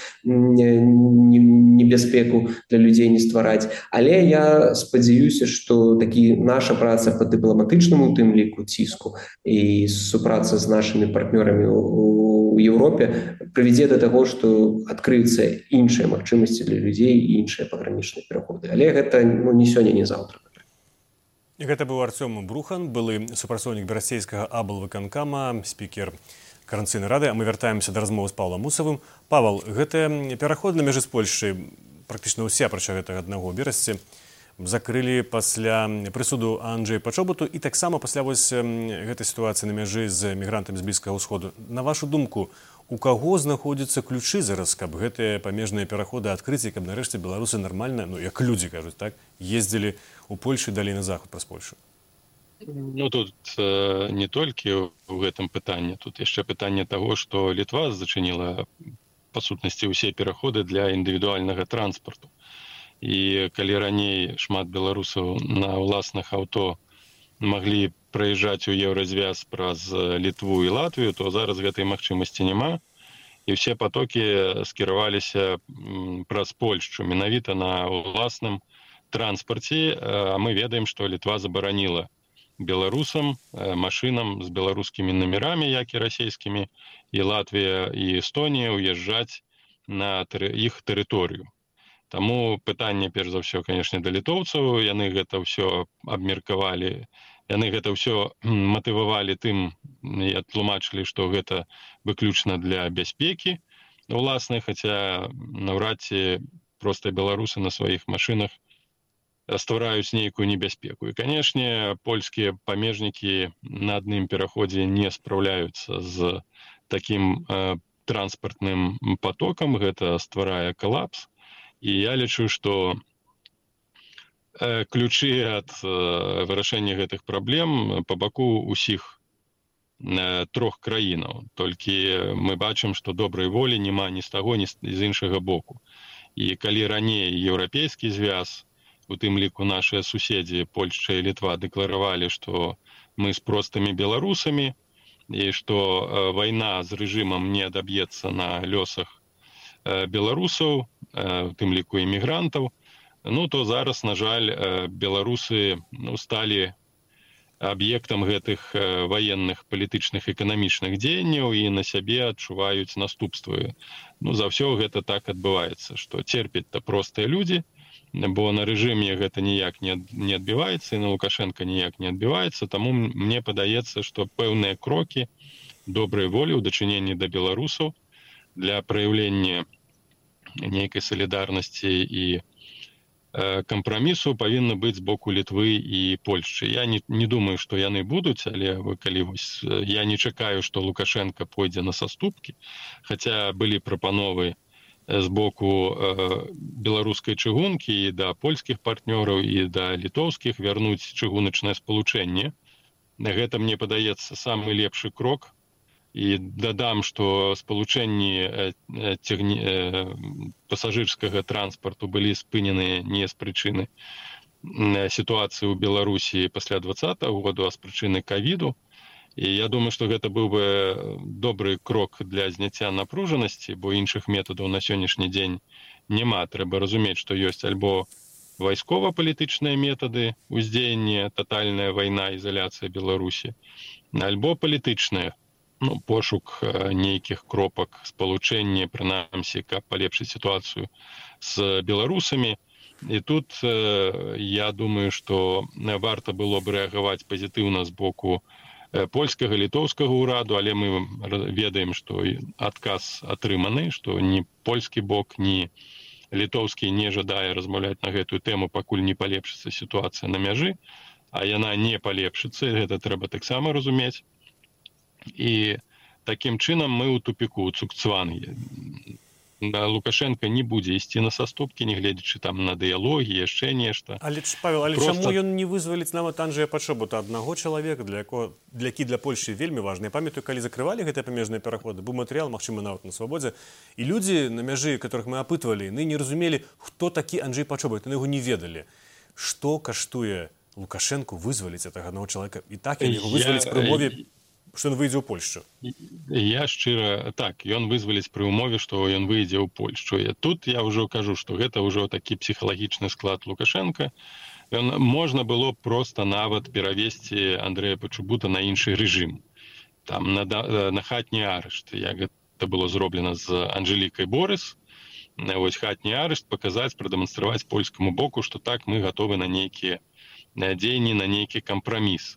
небяспеку для людзей не ствараць. Але я спадзяюся, што такі наша праца па дыпламатычнаму тым ліку ціску і супраца з нашымі партнёрамі ў Еўропе прывядзе да таго, што адкрыюцца іншыя магчымасці для людзей і іншыя пагранічныя пераходы. Але гэта ну, не сёння, не заўтра. Гэта быў Арцём Брухан, былы супрацоўнік берасцейскага аблвыканкама, спікер каранцыйнай рады. А мы вяртаемся да размовы з Паўлам Мусавым. Павал, гэты пераход на мяжы з Польшчай, практычна ўсе, апрача гэтага аднаго берасці, закрылі пасля прысуду Анджэя Пачобуту і таксама пасля вось гэтай сітуацыі на мяжы з мігрантамі з Блізкага ўсходу. На вашу думку, у каго знаходзяцца ключы зараз, каб гэтыя памежныя пераходы адкрыць і каб нарэшце беларусы нармальна, ну як людзі кажуць, так, ездзілі ў Польшу і далей на захад праз Польшу? Ну, тут э, не толькі ў гэтым пытанні, тут яшчэ пытанне таго, што Літва зачыніла, па сутнасці, усе пераходы для індывідуальнага транспарту. І калі раней шмат беларусаў на ўласных аўто маглі праязджаць у еўразвяз праз Літву і Латвію, то зараз гэтай магчымасці няма. І ўсе патокі скіраваліся праз Польшчу, менавіта на ўласным транспарце. А мы ведаем, што Літва забараніла беларусам, машынам з беларускімі номерамі, як і расійскімі, і Латвія, і Эстонія уязджаць на іх тэрыторыю. Таму пытанне, перш за ўсё, канешне, да літоўцаў. Яны гэта ўсё абмеркавалі, яны гэта ўсё матывавалі тым і адтлумачылі, што гэта выключна для бяспекі уласнай, хаця наўрад ці проста беларусы на сваіх машынах ствараюць нейкую небяспеку. І, канешне, польскія памежнікі на адным пераходзе не спраўляюцца з такім э, транспартным потокам. Гэта стварае калапс. І я лічу, што э, ключы ад э, вырашэння гэтых праблем па баку ўсіх э, трох краінаў. Толькі мы бачым, што добрай волі няма ні з таго, ні з іншага боку. І калі раней еўрапейскі звяз, у тым ліку нашыя суседзі Польшча і Літва дэкларавалі, што мы з простымі беларусамі і што вайна з рэжымам не адаб'ецца на лёсах беларусаў, у тым ліку імігрантаў, ну то зараз, на жаль, беларусы ну, сталі аб'ектам гэтых ваенных, палітычных, эканамічных дзеянняў і на сябе адчуваюць наступствы. Ну, за ўсё гэта так адбываецца, што церпяць-то простыя людзі, бо на рэжыме гэта ніяк не адбіваецца, і на Лукашенка ніяк не адбіваецца, таму мне падаецца, што пэўныя крокі добрай волі ў дачыненні да беларусаў для праяўлення нейкай салідарнасці і кампрамісу павінны быць з боку Літвы і Польшчы. Я не, не думаю, што яны будуць, але вы, калі вось, я не чакаю, што Лукашенка пойдзе на саступкі, хаця былі прапановы з боку э, беларускай чыгункі і да польскіх партнёраў і да літоўскіх вярнуць чыгуначнае спалучэнне. Гэта, мне падаецца, самы лепшы крок. І дадам, што спалучэнні э, цягні, э, пасажырскага транспарту былі спыненыя не з прычыны э, сітуацыі ў Беларусі пасля двадцатага году, а з прычыны ковіду. І я думаю, што гэта быў бы добры крок для зняцця напружанасці, бо іншых метадаў на сённяшні дзень няма. Трэба разумець, што ёсць альбо вайскова-палітычныя метады ўздзеяння, татальная вайна, ізаляцыя Беларусі, альбо палітычныя, ну, пошук нейкіх кропак спалучэння, прынамсі, каб палепшыць сітуацыю з беларусамі. І тут э, я думаю, што варта было б рэагаваць пазітыўна з боку польскага, літоўскага ўраду, але мы ведаем, што адказ атрыманы, што ні польскі бок, ні літоўскі не жадае размаўляць на гэтую тэму, пакуль не палепшыцца сітуацыя на мяжы, а яна не палепшыцца, гэта трэба таксама разумець. І такім чынам мы ў тупіку, у цукцвангі. Лукашенко не будзе ісці на саступкі, не гледзячы там на дыялогі, яшчэ нешта. Але, Павел, але Просто... чаму ён не вызваліць нават Анджэя Пачобута, аднаго чалавека, для якога, для які для Польшчы вельмі важна. Я памятаю, калі закрывалі гэтыя памежныя пераходы, быў матэрыял, магчыма, нават на свабодзе, і людзі на мяжы, которых мы апытвалі, яны не разумелі, хто такі Анджэй Пачобут, яны яго не ведалі. Што каштуе Лукашенку вызваліць гэтага аднаго чалавека? І так яго вызваліць пры умове, што ён выйдзе ў Польшчу. Я шчыра, так, ён вызваліць пры умове, што ён выйдзе ў Польшчу. І тут я ўжо кажу, што гэта ўжо такі псіхалагічны склад Лукашенка. Ён можна было проста нават перавесці Андрэя Пачобута на іншы рэжым. Там на, на хатні арышт, як гэта было зроблена з Анжэлікай Борыс. Вось хатні арышт паказаць, прадэманстраваць польскаму боку, што так мы гатовы на нейкія дзеянні, на нейкі кампраміс.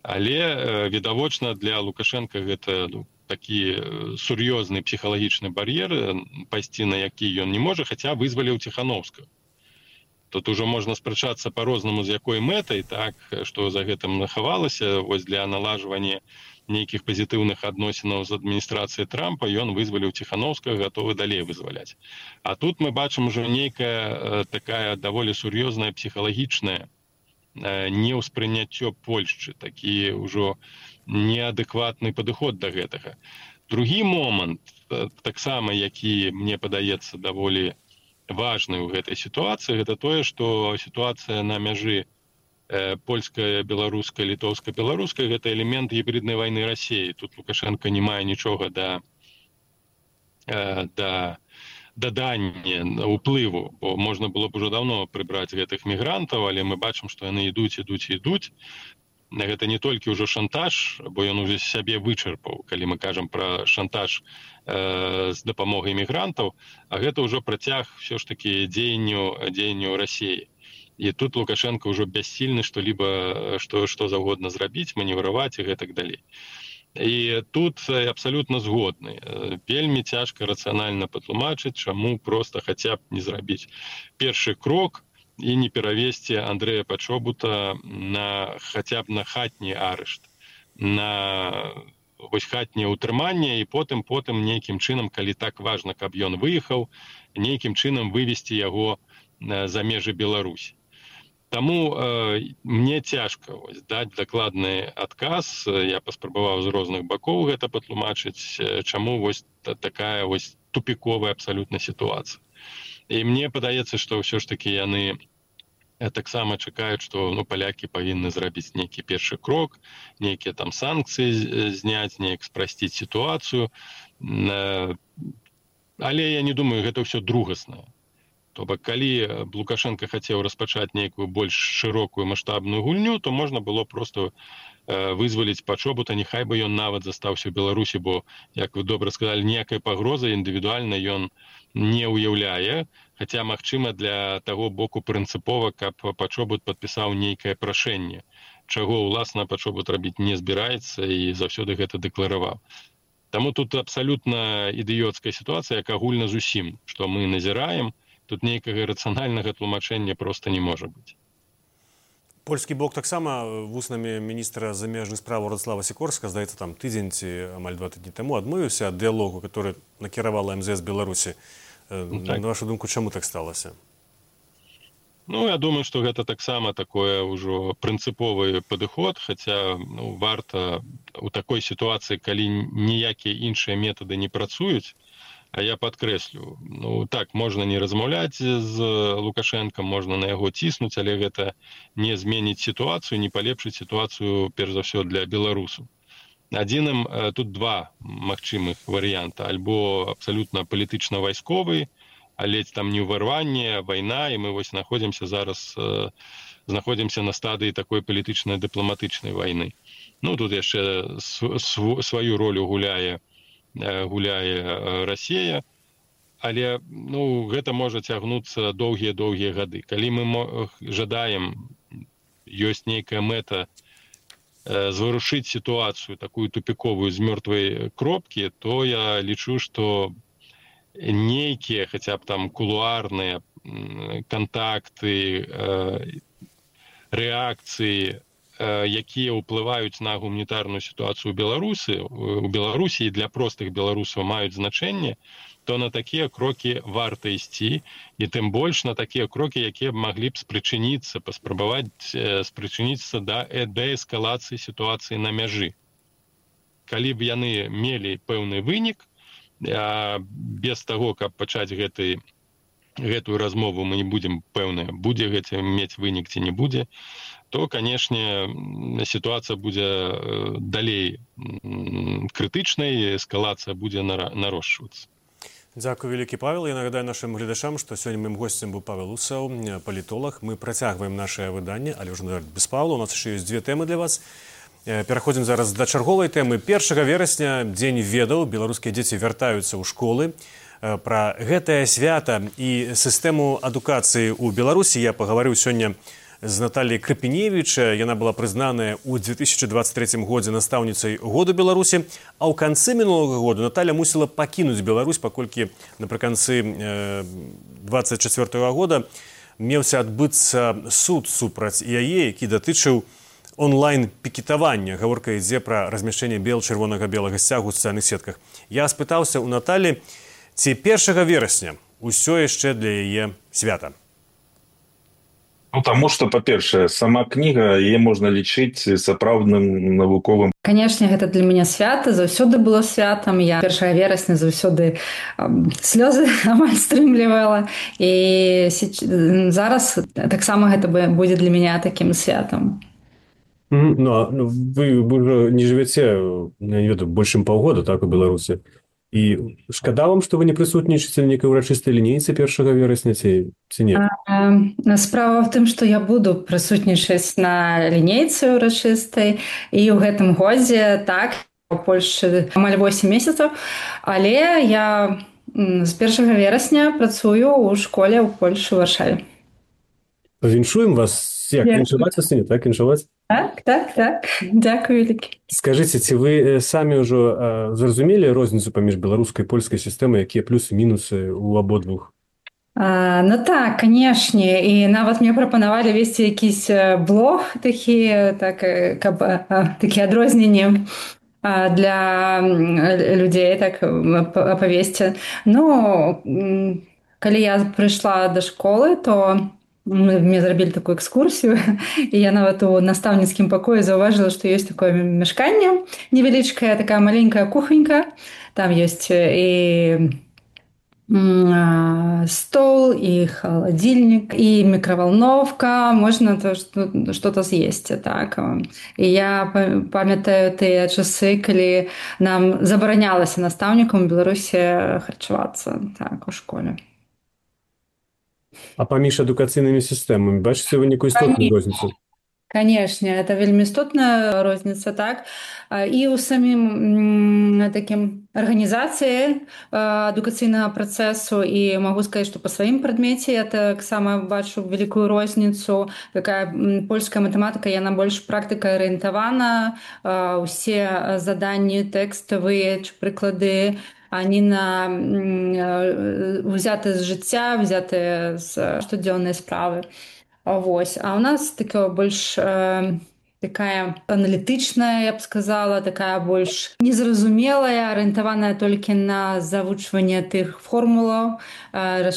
Але, відавочна, для Лукашенка гэта ну, такі сур'ёзны псіхалагічны бар'ер, пайсці на які ён не можа, хаця вызваліў Ціхановскага. Тут уже можна спрачацца па-рознаму, з якой мэтай, так, што за гэтым нахавалася, вось для налажвання нейкіх пазітыўных адносінаў з адміністрацыяй Трампа ён вызваліў Ціхановскага, гатовы далей вызваляць. А тут мы бачым ужо нейкая такая даволі сур'ёзная псіхалагічная неўспрыняццё Польшчы, такі ўжо неадэкватны падыход да гэтага. Другі момант, таксама, які мне падаецца даволі важны ў гэтай сітуацыі, гэта тое, што сітуацыя на мяжы польская, беларуская, літоўская, беларуская — гэта элемент гібриднай вайны Расіі. Тут Лукашенко не мае нічога да да дадання ўплыву, бо можна было б ужо даўно прыбраць гэтых мігрантаў, але мы бачым, што яны ідуць, ідуць, ідуць. Гэта не толькі ўжо шантаж, бо ён уже сябе вычарпаў, калі мы кажам пра шантаж э, з дапамогай мігрантаў, а гэта ўжо працяг ўсё ж такі дзеянню дзеянню Расіі. І тут Лукашенко ўжо бяссільны што-либо, што, што заўгодна зрабіць, маневраваць і гэтак далей. І тут абсалютна згодны. Вельмі цяжка рацыянальна патлумачыць, чаму проста хаця б не зрабіць першы крок і не перавесці Андрэя Пачобута на хаця б на хатні арышт, на вось хатняе ўтрыманне, і потым потым нейкім чынам, калі так важна, каб ён выехаў, нейкім чынам вывесці яго за межы Беларусі. Таму э, мне цяжка вось, даць дакладны адказ. Я паспрабаваў з розных бакоў гэта патлумачыць, чаму вось такая вось тупіковая абсалютна сітуацыя. І мне падаецца, што ўсё ж такі яны таксама чакаюць, што ну, палякі павінны зрабіць нейкі першы крок, нейкія там санкцыі зняць, неяк спрасціць сітуацыю. Э, але я не думаю, гэта ўсё другаснае. То бок, калі Лукашенко хацеў распачаць нейкую больш шырокую маштабную гульню, то можна было просто э, вызваліць Пачобута, няхай бы ён нават застаўся ў Беларусі, бо, як вы добра сказалі, ніякай пагрозы індывідуальна ён не ўяўляе, хаця, магчыма, для таго боку прынцыпова, каб Пачобут падпісаў нейкае прашэнне, чаго, уласна, Пачобут рабіць не збіраецца і заўсёды гэта дэклараваў. Таму тут абсалютна ідыёцкая сітуацыя, як агульна зусім, што мы назіраем. Тут нейкага рацыянальнага тлумачэння проста не можа быць. Польскі бок таксама вуснамі міністра замежных справаў Радслава Сікорска, здаецца, там тыдзень ці амаль два тыдні таму адмовіўся ад дыялогу, который накіравала эм зэ эс Беларусі. Ну, так. На вашу думку, чаму так сталася? Ну, я думаю, што гэта таксама такое ўжо прынцыповы падыход, хаця ну, варта у такой сітуацыі, калі ніякія іншыя метады не працуюць. А я падкрэслю, ну так, можна не размаўляць з Лукашенком, можна на яго ціснуць, але гэта не зменіць сітуацыю, не палепшыць сітуацыю, перш за ўсё, для беларусаў. Адзіным тут два магчымых варыянта. Альбо абсалютна палітычна-вайсковы, але там не ўварванне, вайна, і мы вось знаходзімся зараз, знаходзімся на стадыі такой палітычна-дыпламатычнай вайны. Ну, тут яшчэ сваю ролю гуляе гуляе Расія, але ну, гэта можа цягнуцца доўгія-доўгія гады. Калі мы жадаем, ёсць нейкая мэта э, зварушыць сітуацыю, такую тупіковую з мёртвай кропкі, то я лічу, што нейкія, хаця б там кулуарныя кантакты, э, рэакцыі, якія ўплываюць на гуманітарную сітуацыю ў Беларусі, у Беларусі і для простых беларусаў маюць значэнне, то на такія крокі варта ісці, і тым больш на такія крокі, якія б маглі б спрычыніцца, паспрабаваць спрычыніцца да дээскалацыі сітуацыі на мяжы. Калі б яны мелі пэўны вынік, без таго, каб пачаць гэты, гэтую размову, мы не будзем пэўныя, будзе гэта мець вынік ці не будзе, то, канешне, сітуацыя будзе далей крытычнай, эскалацыя будзе нарошчвацца. Дзякую вялікі, Павел. Я нагадаю нашим гледачам, што сёння маім госцем быў Павел Усаў, палітолог. Мы працягваем наше выданне, але ўжо без Павла. У нас яшчэ ёсць дзве тэмы для вас. Пераходзім зараз да чарговай тэмы. першага верасня, дзень ведаў, беларускія дзеці вяртаюцца ў школы. Пра гэтае свята і сістэму адукацыі ў Беларусі я пагаварыў сёння з Натальяй Крапіневіч. Яна была прызнаная ў две тысячи двадцать третьем годзе настаўніцай году Беларусі, а ў канцы мінулага году Наталья мусіла пакінуць Беларусь, паколькі напрыканцы двадцать четвёртого года меўся адбыцца суд супраць яе, які датычыў онлайн-пікетавання. Гаворка ідзе пра размяшчэнне бел-чырвонага-белага сцягу ў сацыяльных сетках. Я спытаўся ў Наталі, ці першага верасня ўсё яшчэ для яе свята. Ну, тому что, па-першае, сама кніга, яе можна лічыць сапраўдным навуковым. Канешне, гэта для мяне свята, заўсёды было святам. Я першага верасня заўсёды слёзы амаль стрымлівала. І зараз таксама гэта будзе для мяне такім святам. Ну, а вы уже не жывяце, я не ведаю, больш чым паўгода, так, у Беларусі. І шкада вам, што вы не прысутнічаеце на нейкай урачыстай лінейцы першага верасня, ці, ці не? Справа в тым, што я буду прысутнічаць на лінейцы урачыстай, і ў гэтым годзе, так, у Польшчы амаль восем месяцаў, але я з першага верасня працую ў школе ў Польшы, ў Варшаве. Віншуем вас, як, віншаваць вас, не так, віншаваць? Так, так, так. Дякую вялікі. Скажыце, ці вы самі ўжо зразумелі розніцу паміж беларускай і польскай сістэмай, якія плюсы і мінусы ў абодвух? А, ну так, канешне, і нават мне прапанавалі весці якісь блог такі, так, каб такі адрозненні для людзей, так, апавесці. Ну, калі я прыйшла да школы, то мне зрабілі такую экскурсію, і я нават у настаўніцкім пакоі заўважыла, што ёсць такое мяшканне невялічкая, такая маленькая кухонька, там ёсць і стол, і халадзільнік, і мікравалновка, можна што-то з'есці, так. І я памятаю тыя часы, калі нам забаранялася настаўнікам у Беларусі харчавацца, так, у школе. А паміж адукацыйнымі сістэмамі бачыце вы нейкую істотную розніцу? Канешне, это вельмі істотная розніца, так. І ў самім такім арганізацыі адукацыйнага працэсу, і магу сказаць, што па сваім прадмеце я таксама бачу вялікую розніцу. Такая польская матэматыка, яна больш практыка-арыентавана, усе заданні тэкставыя, прыклады, они на взяты з жыцця, взяты з штодзённай справы. Вось. А у нас такая больш э, такая аналітычная, я б сказала, такая больш незразумелая, арыентаваная толькі на завучванне тых формулаў, э,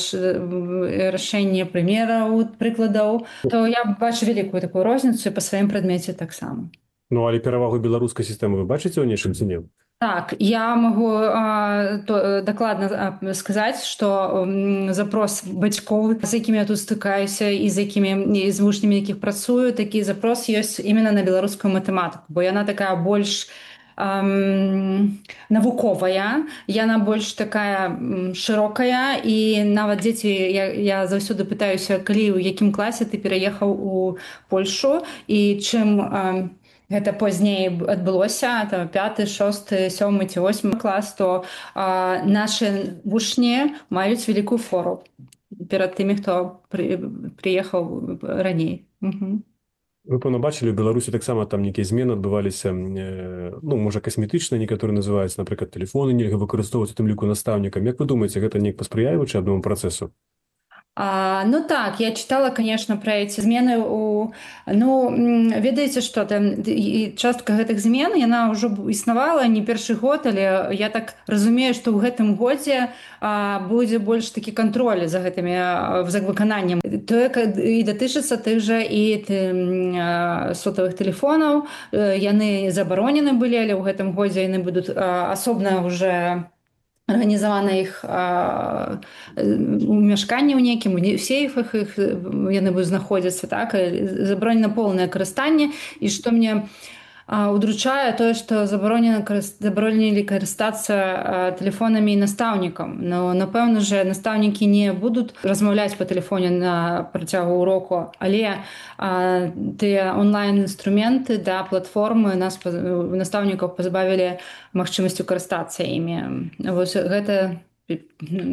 рашэнне прымераў, прыкладаў. То я бачу вялікую такую розніцу па сваім прадмеце таксама. Ну, але перавагу беларускай сістэмы вы бачыце ў нечым ці не? Так, я могу а, то, дакладна сказаць, што м, запрос бацькоў, з якімі я тут стыкаюся і з якімі і з вучнямі, якіх працую, такі запрос ёсць именно на беларускую матэматыку, бо яна такая больш ам, навуковая, яна больш такая м, шырокая, і нават дзеці, я, я заўсёды пытаюся, калі ў якім класе ты пераехаў у Польшу, і чым ам, гэта пазней адбылося, пяты, шосты, сёмы ці восьмы клас, то а, нашы вучні маюць вялікую фору перад тымі, хто пры, прыехаў раней. Угу. Вы, пэўна, бачылі, у Беларусі таксама там нейкія змены адбываліся, э, ну, можа, касметычныя, некаторыя называюцца, напрыклад, тэлефоны нельга выкарыстоўваць, у тым ліку настаўнікам. Як вы думаеце, гэта неяк паспрыяе вучэбнаму працэсу? А, ну так, я читала, конечно, про эти змены. У... Ну, ведаеце, што там частка гэтых змен, яна ўжо існавала не першы год, але я так разумею, што ў гэтым годзе а, будзе больш такі кантроль за гэтымі за выкананнем. Тое і датычыцца тых жа і ты, сотовых тэлефонаў. Яны забаронены былі, але ў гэтым годзе яны будуць асобна ўжо арганізавана іх у мяшканні ў нейкім, у сейфах іх яны будуць знаходзіцца, так, забаронена поўнае карыстанне, і што мне удручае тое, што забаронена забаронілі карыстацца тэлефонамі і настаўнікам. Но, напэўна же, настаўнікі не будуць размаўляць па тэлефоне на працягу уроку, але а, тыя онлайн-інструменты, да, платформы нас настаўнікаў пазбавілі магчымасцю карыстацца імі. Вось гэта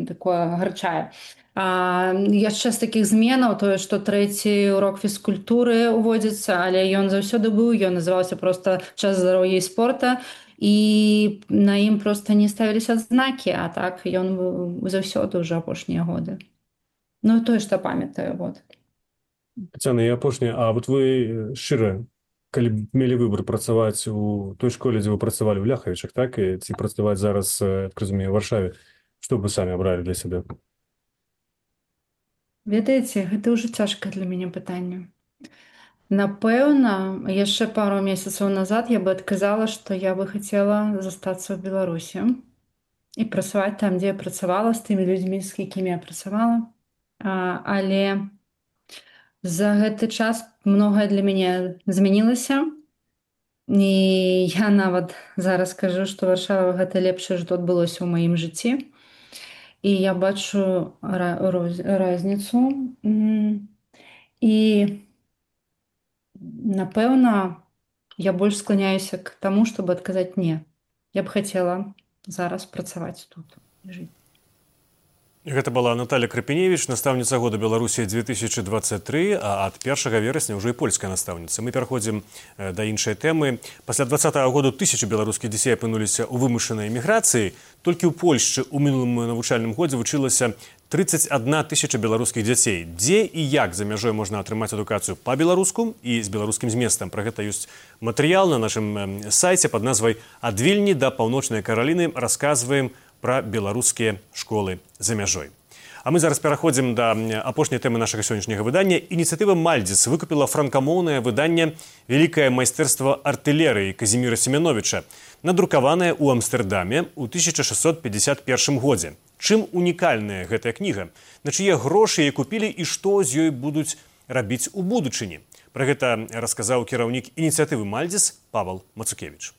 такое гарчае. А, яшчэ з такіх зменаў тое, што трэці урок фізкультуры ўводзіцца, але ён заўсёды быў, ён называўся проста час здароўя і спорта, і на ім проста не ставіліся знакі, а так ён быў заўсёды ўжо апошнія годы. Ну, тое, што памятаю, вот. Тетяна, і апошняе, а вот вы шчыра, калі б мелі выбор працаваць у той школе, дзе вы працавалі ў Ляхавічах, так, і ці працаваць зараз, як разумею, у Варшаве, што б вы самі абралі для сябе? Ведаеце, гэта ўжо цяжкае для мяне пытанне. Напэўна, яшчэ пару месяцаў назад я бы адказала, што я бы хацела застацца ў Беларусі і працаваць там, дзе я працавала, з тымі людзьмі, з якімі я працавала. А, але за гэты час многае для мяне змянілася. І я нават зараз кажу, што Варшава гэта лепшае, што адбылося ў маім жыцці. І я бачу розніцу. І, напэўна, я больш скланяюся к таму, чтобы адказаць «не». Я б хацела зараз працаваць тут і жыць. Гэта была Наталья Крапіневіч, настаўніца года Беларусі две тысячи двадцать три, а ад першага верасня ўжо і польская настаўніца. Мы пераходзім да іншай тэмы. Пасля двадцатага году тысячы беларускіх дзяцей апынуліся ў вымушанай эміграцыі. Толькі ў Польшчы ў мінулым навучальным годзе вучылася тридцать одна тысяча беларускіх дзяцей. Дзе і як за мяжой можна атрымаць адукацыю па-беларуску і з беларускім зместам? Пра гэта ёсць матэрыял на нашым сайце пад назвай «Ад Вільні да Паўночнай Караліны». Расказваем пра беларускія школы за мяжой. А мы зараз пераходзім да апошняй тэмы нашага сённяшняга выдання. Ініцыятыва «Мальдзіс» выкупіла франкамоўнае выданне «Великае майстэрства артылерыі» Казіміра Семеновича, надрукаванае ў Амстэрдаме ў тысяча шестьсот пятьдесят первом годзе. Чым унікальная гэтая кніга? На чые грошы яе купілі і што з ёй будуць рабіць у будучыні? Пра гэта расказаў кіраўнік ініцыятывы «Мальдзіс» Павел Мацукевич.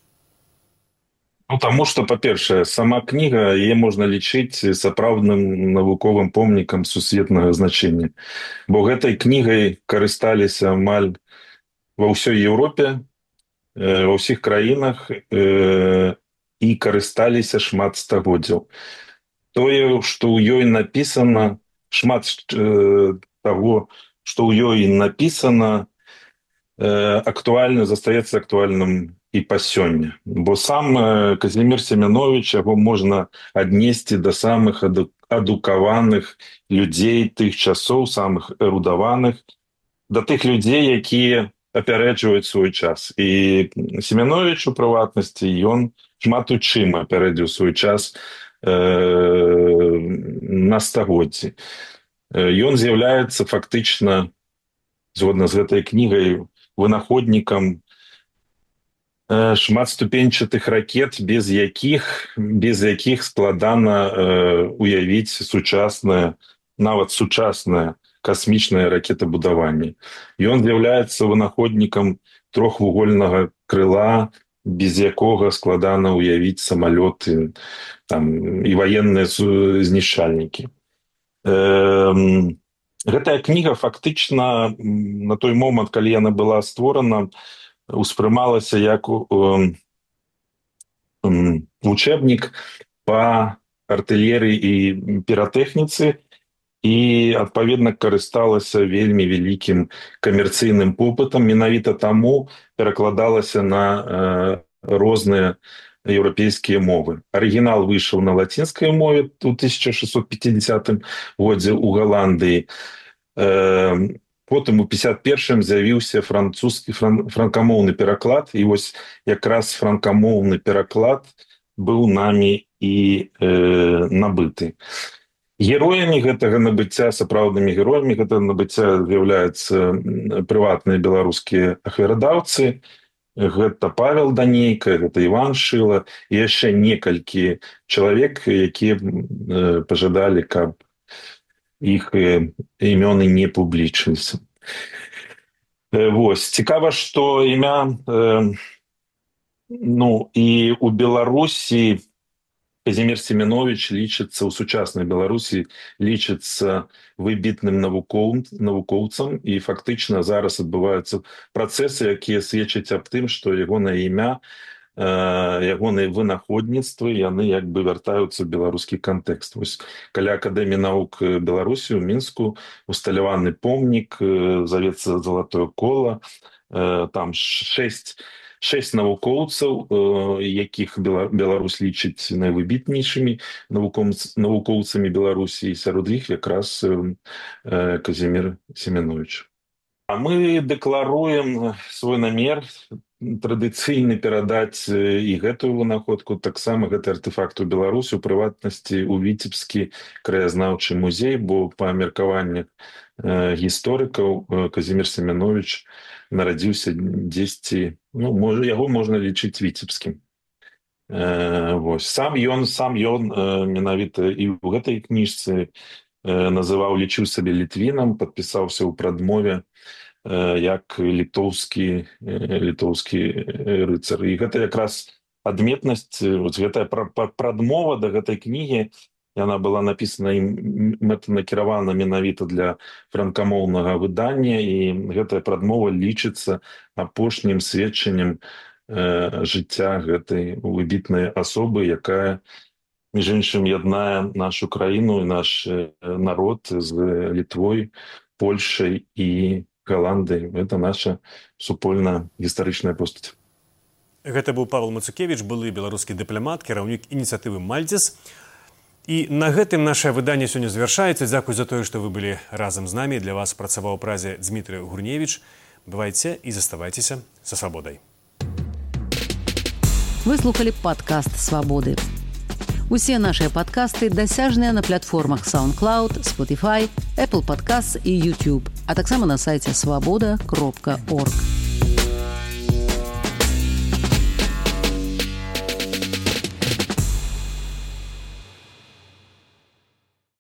Ну, тому что, по-першае, сама кніга, яе можна лічыць сапраўдным навуковым помнікам сусветнага значэння. Бо гэтай кнігай карысталіся амаль ва ўсёй Еўропе, ва ўсіх краінах і карысталіся шмат стагоддзяў. Тое, што ў ёй напісана, шмат таго, што ў ёй напісана, актуальна, застаецца актуальным і па сёння. Бо сам Казімір Семенович, яго можна аднесці да самых адукаваных людзей тых часоў, самых эрудаваных, да тых людзей, якія апярэджваюць свой час. І Семенович, у прыватнасці, ён шмат у чым апярэдзіў свой час на стагоддзі. Ён з'яўляецца фактычна, згодна з гэтай кнігай, вынаходнікам шматступенчатых ракет, без якіх, без якіх складана уявіць сучаснае, нават сучаснае касмічнае ракетабудаванне. Ён з'яўляецца вынаходнікам трохвугольнага крыла, без якога складана уявіць самалёты там, і ваенныя знішчальнікі. Гэтая кніга фактычна на той момант, калі яна была створана, успрымалася як учебнік па артылерыі і піратэхніцы і, адпаведна, карысталася вельмі вялікім камерцыйным попытам. Менавіта таму перакладалася на розныя еўрапейскія мовы. Арыгінал выйшаў на лацінскай мове ў тысяча шестьсот пятидесятым годзе ў Галандыі. Потым у пятьдесят первым з'явіўся французскі франкамоўны пераклад, і вось якраз франкамоўны пераклад быў намі і э, набыты. Героямі гэтага набыцця, сапраўднымі героямі гэтага набыцця з'яўляюцца прыватныя беларускія ахвярадаўцы. Гэта Павел Данейка, гэта Іван Шыла і яшчэ некалькі чалавек, якія э, пажадалі, каб іх імёны не публічыліся. Вось. Цікава, што імя, э, ну, і у Беларусі Казімір Семенович лічыцца, у сучаснай Беларусі лічыцца выбітным навукоў, навукоўцам, і фактычна зараз адбываюцца працэсы, якія сведчаць аб тым, што ягонае імя ягоныя вынаходніцтвы, яны як бы вяртаюцца ў беларускі кантэкст. Вось каля Акадэміі навук Беларусі ў Мінску усталяваны помнік, завецца «Залатое кола», там шэсць шэсць навукоўцаў, якіх Беларусь лічыць найвыбітнейшымі навукоўцамі Беларусі, і сярод іх якраз Казімір Семенович. А мы дэкларуем свой намер традыцыйна перадаць і гэтую вынаходку, таксама гэты артефакт у Беларусі, у прыватнасці ў Віцебскі краязнаўчы музей, бо па меркаваннях гісторыкаў Казімір Семенович нарадзіўся дзесьці, ну, можа, яго можна лічыць віцебскім. Вось. Сам ён, сам ён менавіта і ў гэтай кніжцы называў, лічыў сабе літвінам, падпісаўся ў прадмове як літоўскі, літоўскі рыцар. І гэта якраз адметнасць, гэтая прадмова да гэтай кнігі, яна была напісана і мэтанакіравана менавіта для франкамоўнага выдання, і гэтая прадмова лічыцца апошнім сведчаннем жыцця гэтай выбітнай асобы, якая, між іншым, яднае нашу краіну і наш народ з Літвой, Польшай і Голландыі. Это наша супольная гістарычная постаць. Гэта быў Павел Мацукевич, былы беларускі дыпламат, кіраўнік ініцыятывы «Мальцес». І на гэтым наше выданне сёння завяршаецца. Дзякуй за тое, што вы былі разам з намі. Для вас працаваў у празе Дзмітрый Гурневіч. Бывайце і заставайцеся са свабодай. Вы слухали падкаст «Свабоды». Усе нашыя падкасты дасяжныя на платформах SoundCloud, Spotify, Apple Podcasts і YouTube, а таксама на сайце свабода кропка орг.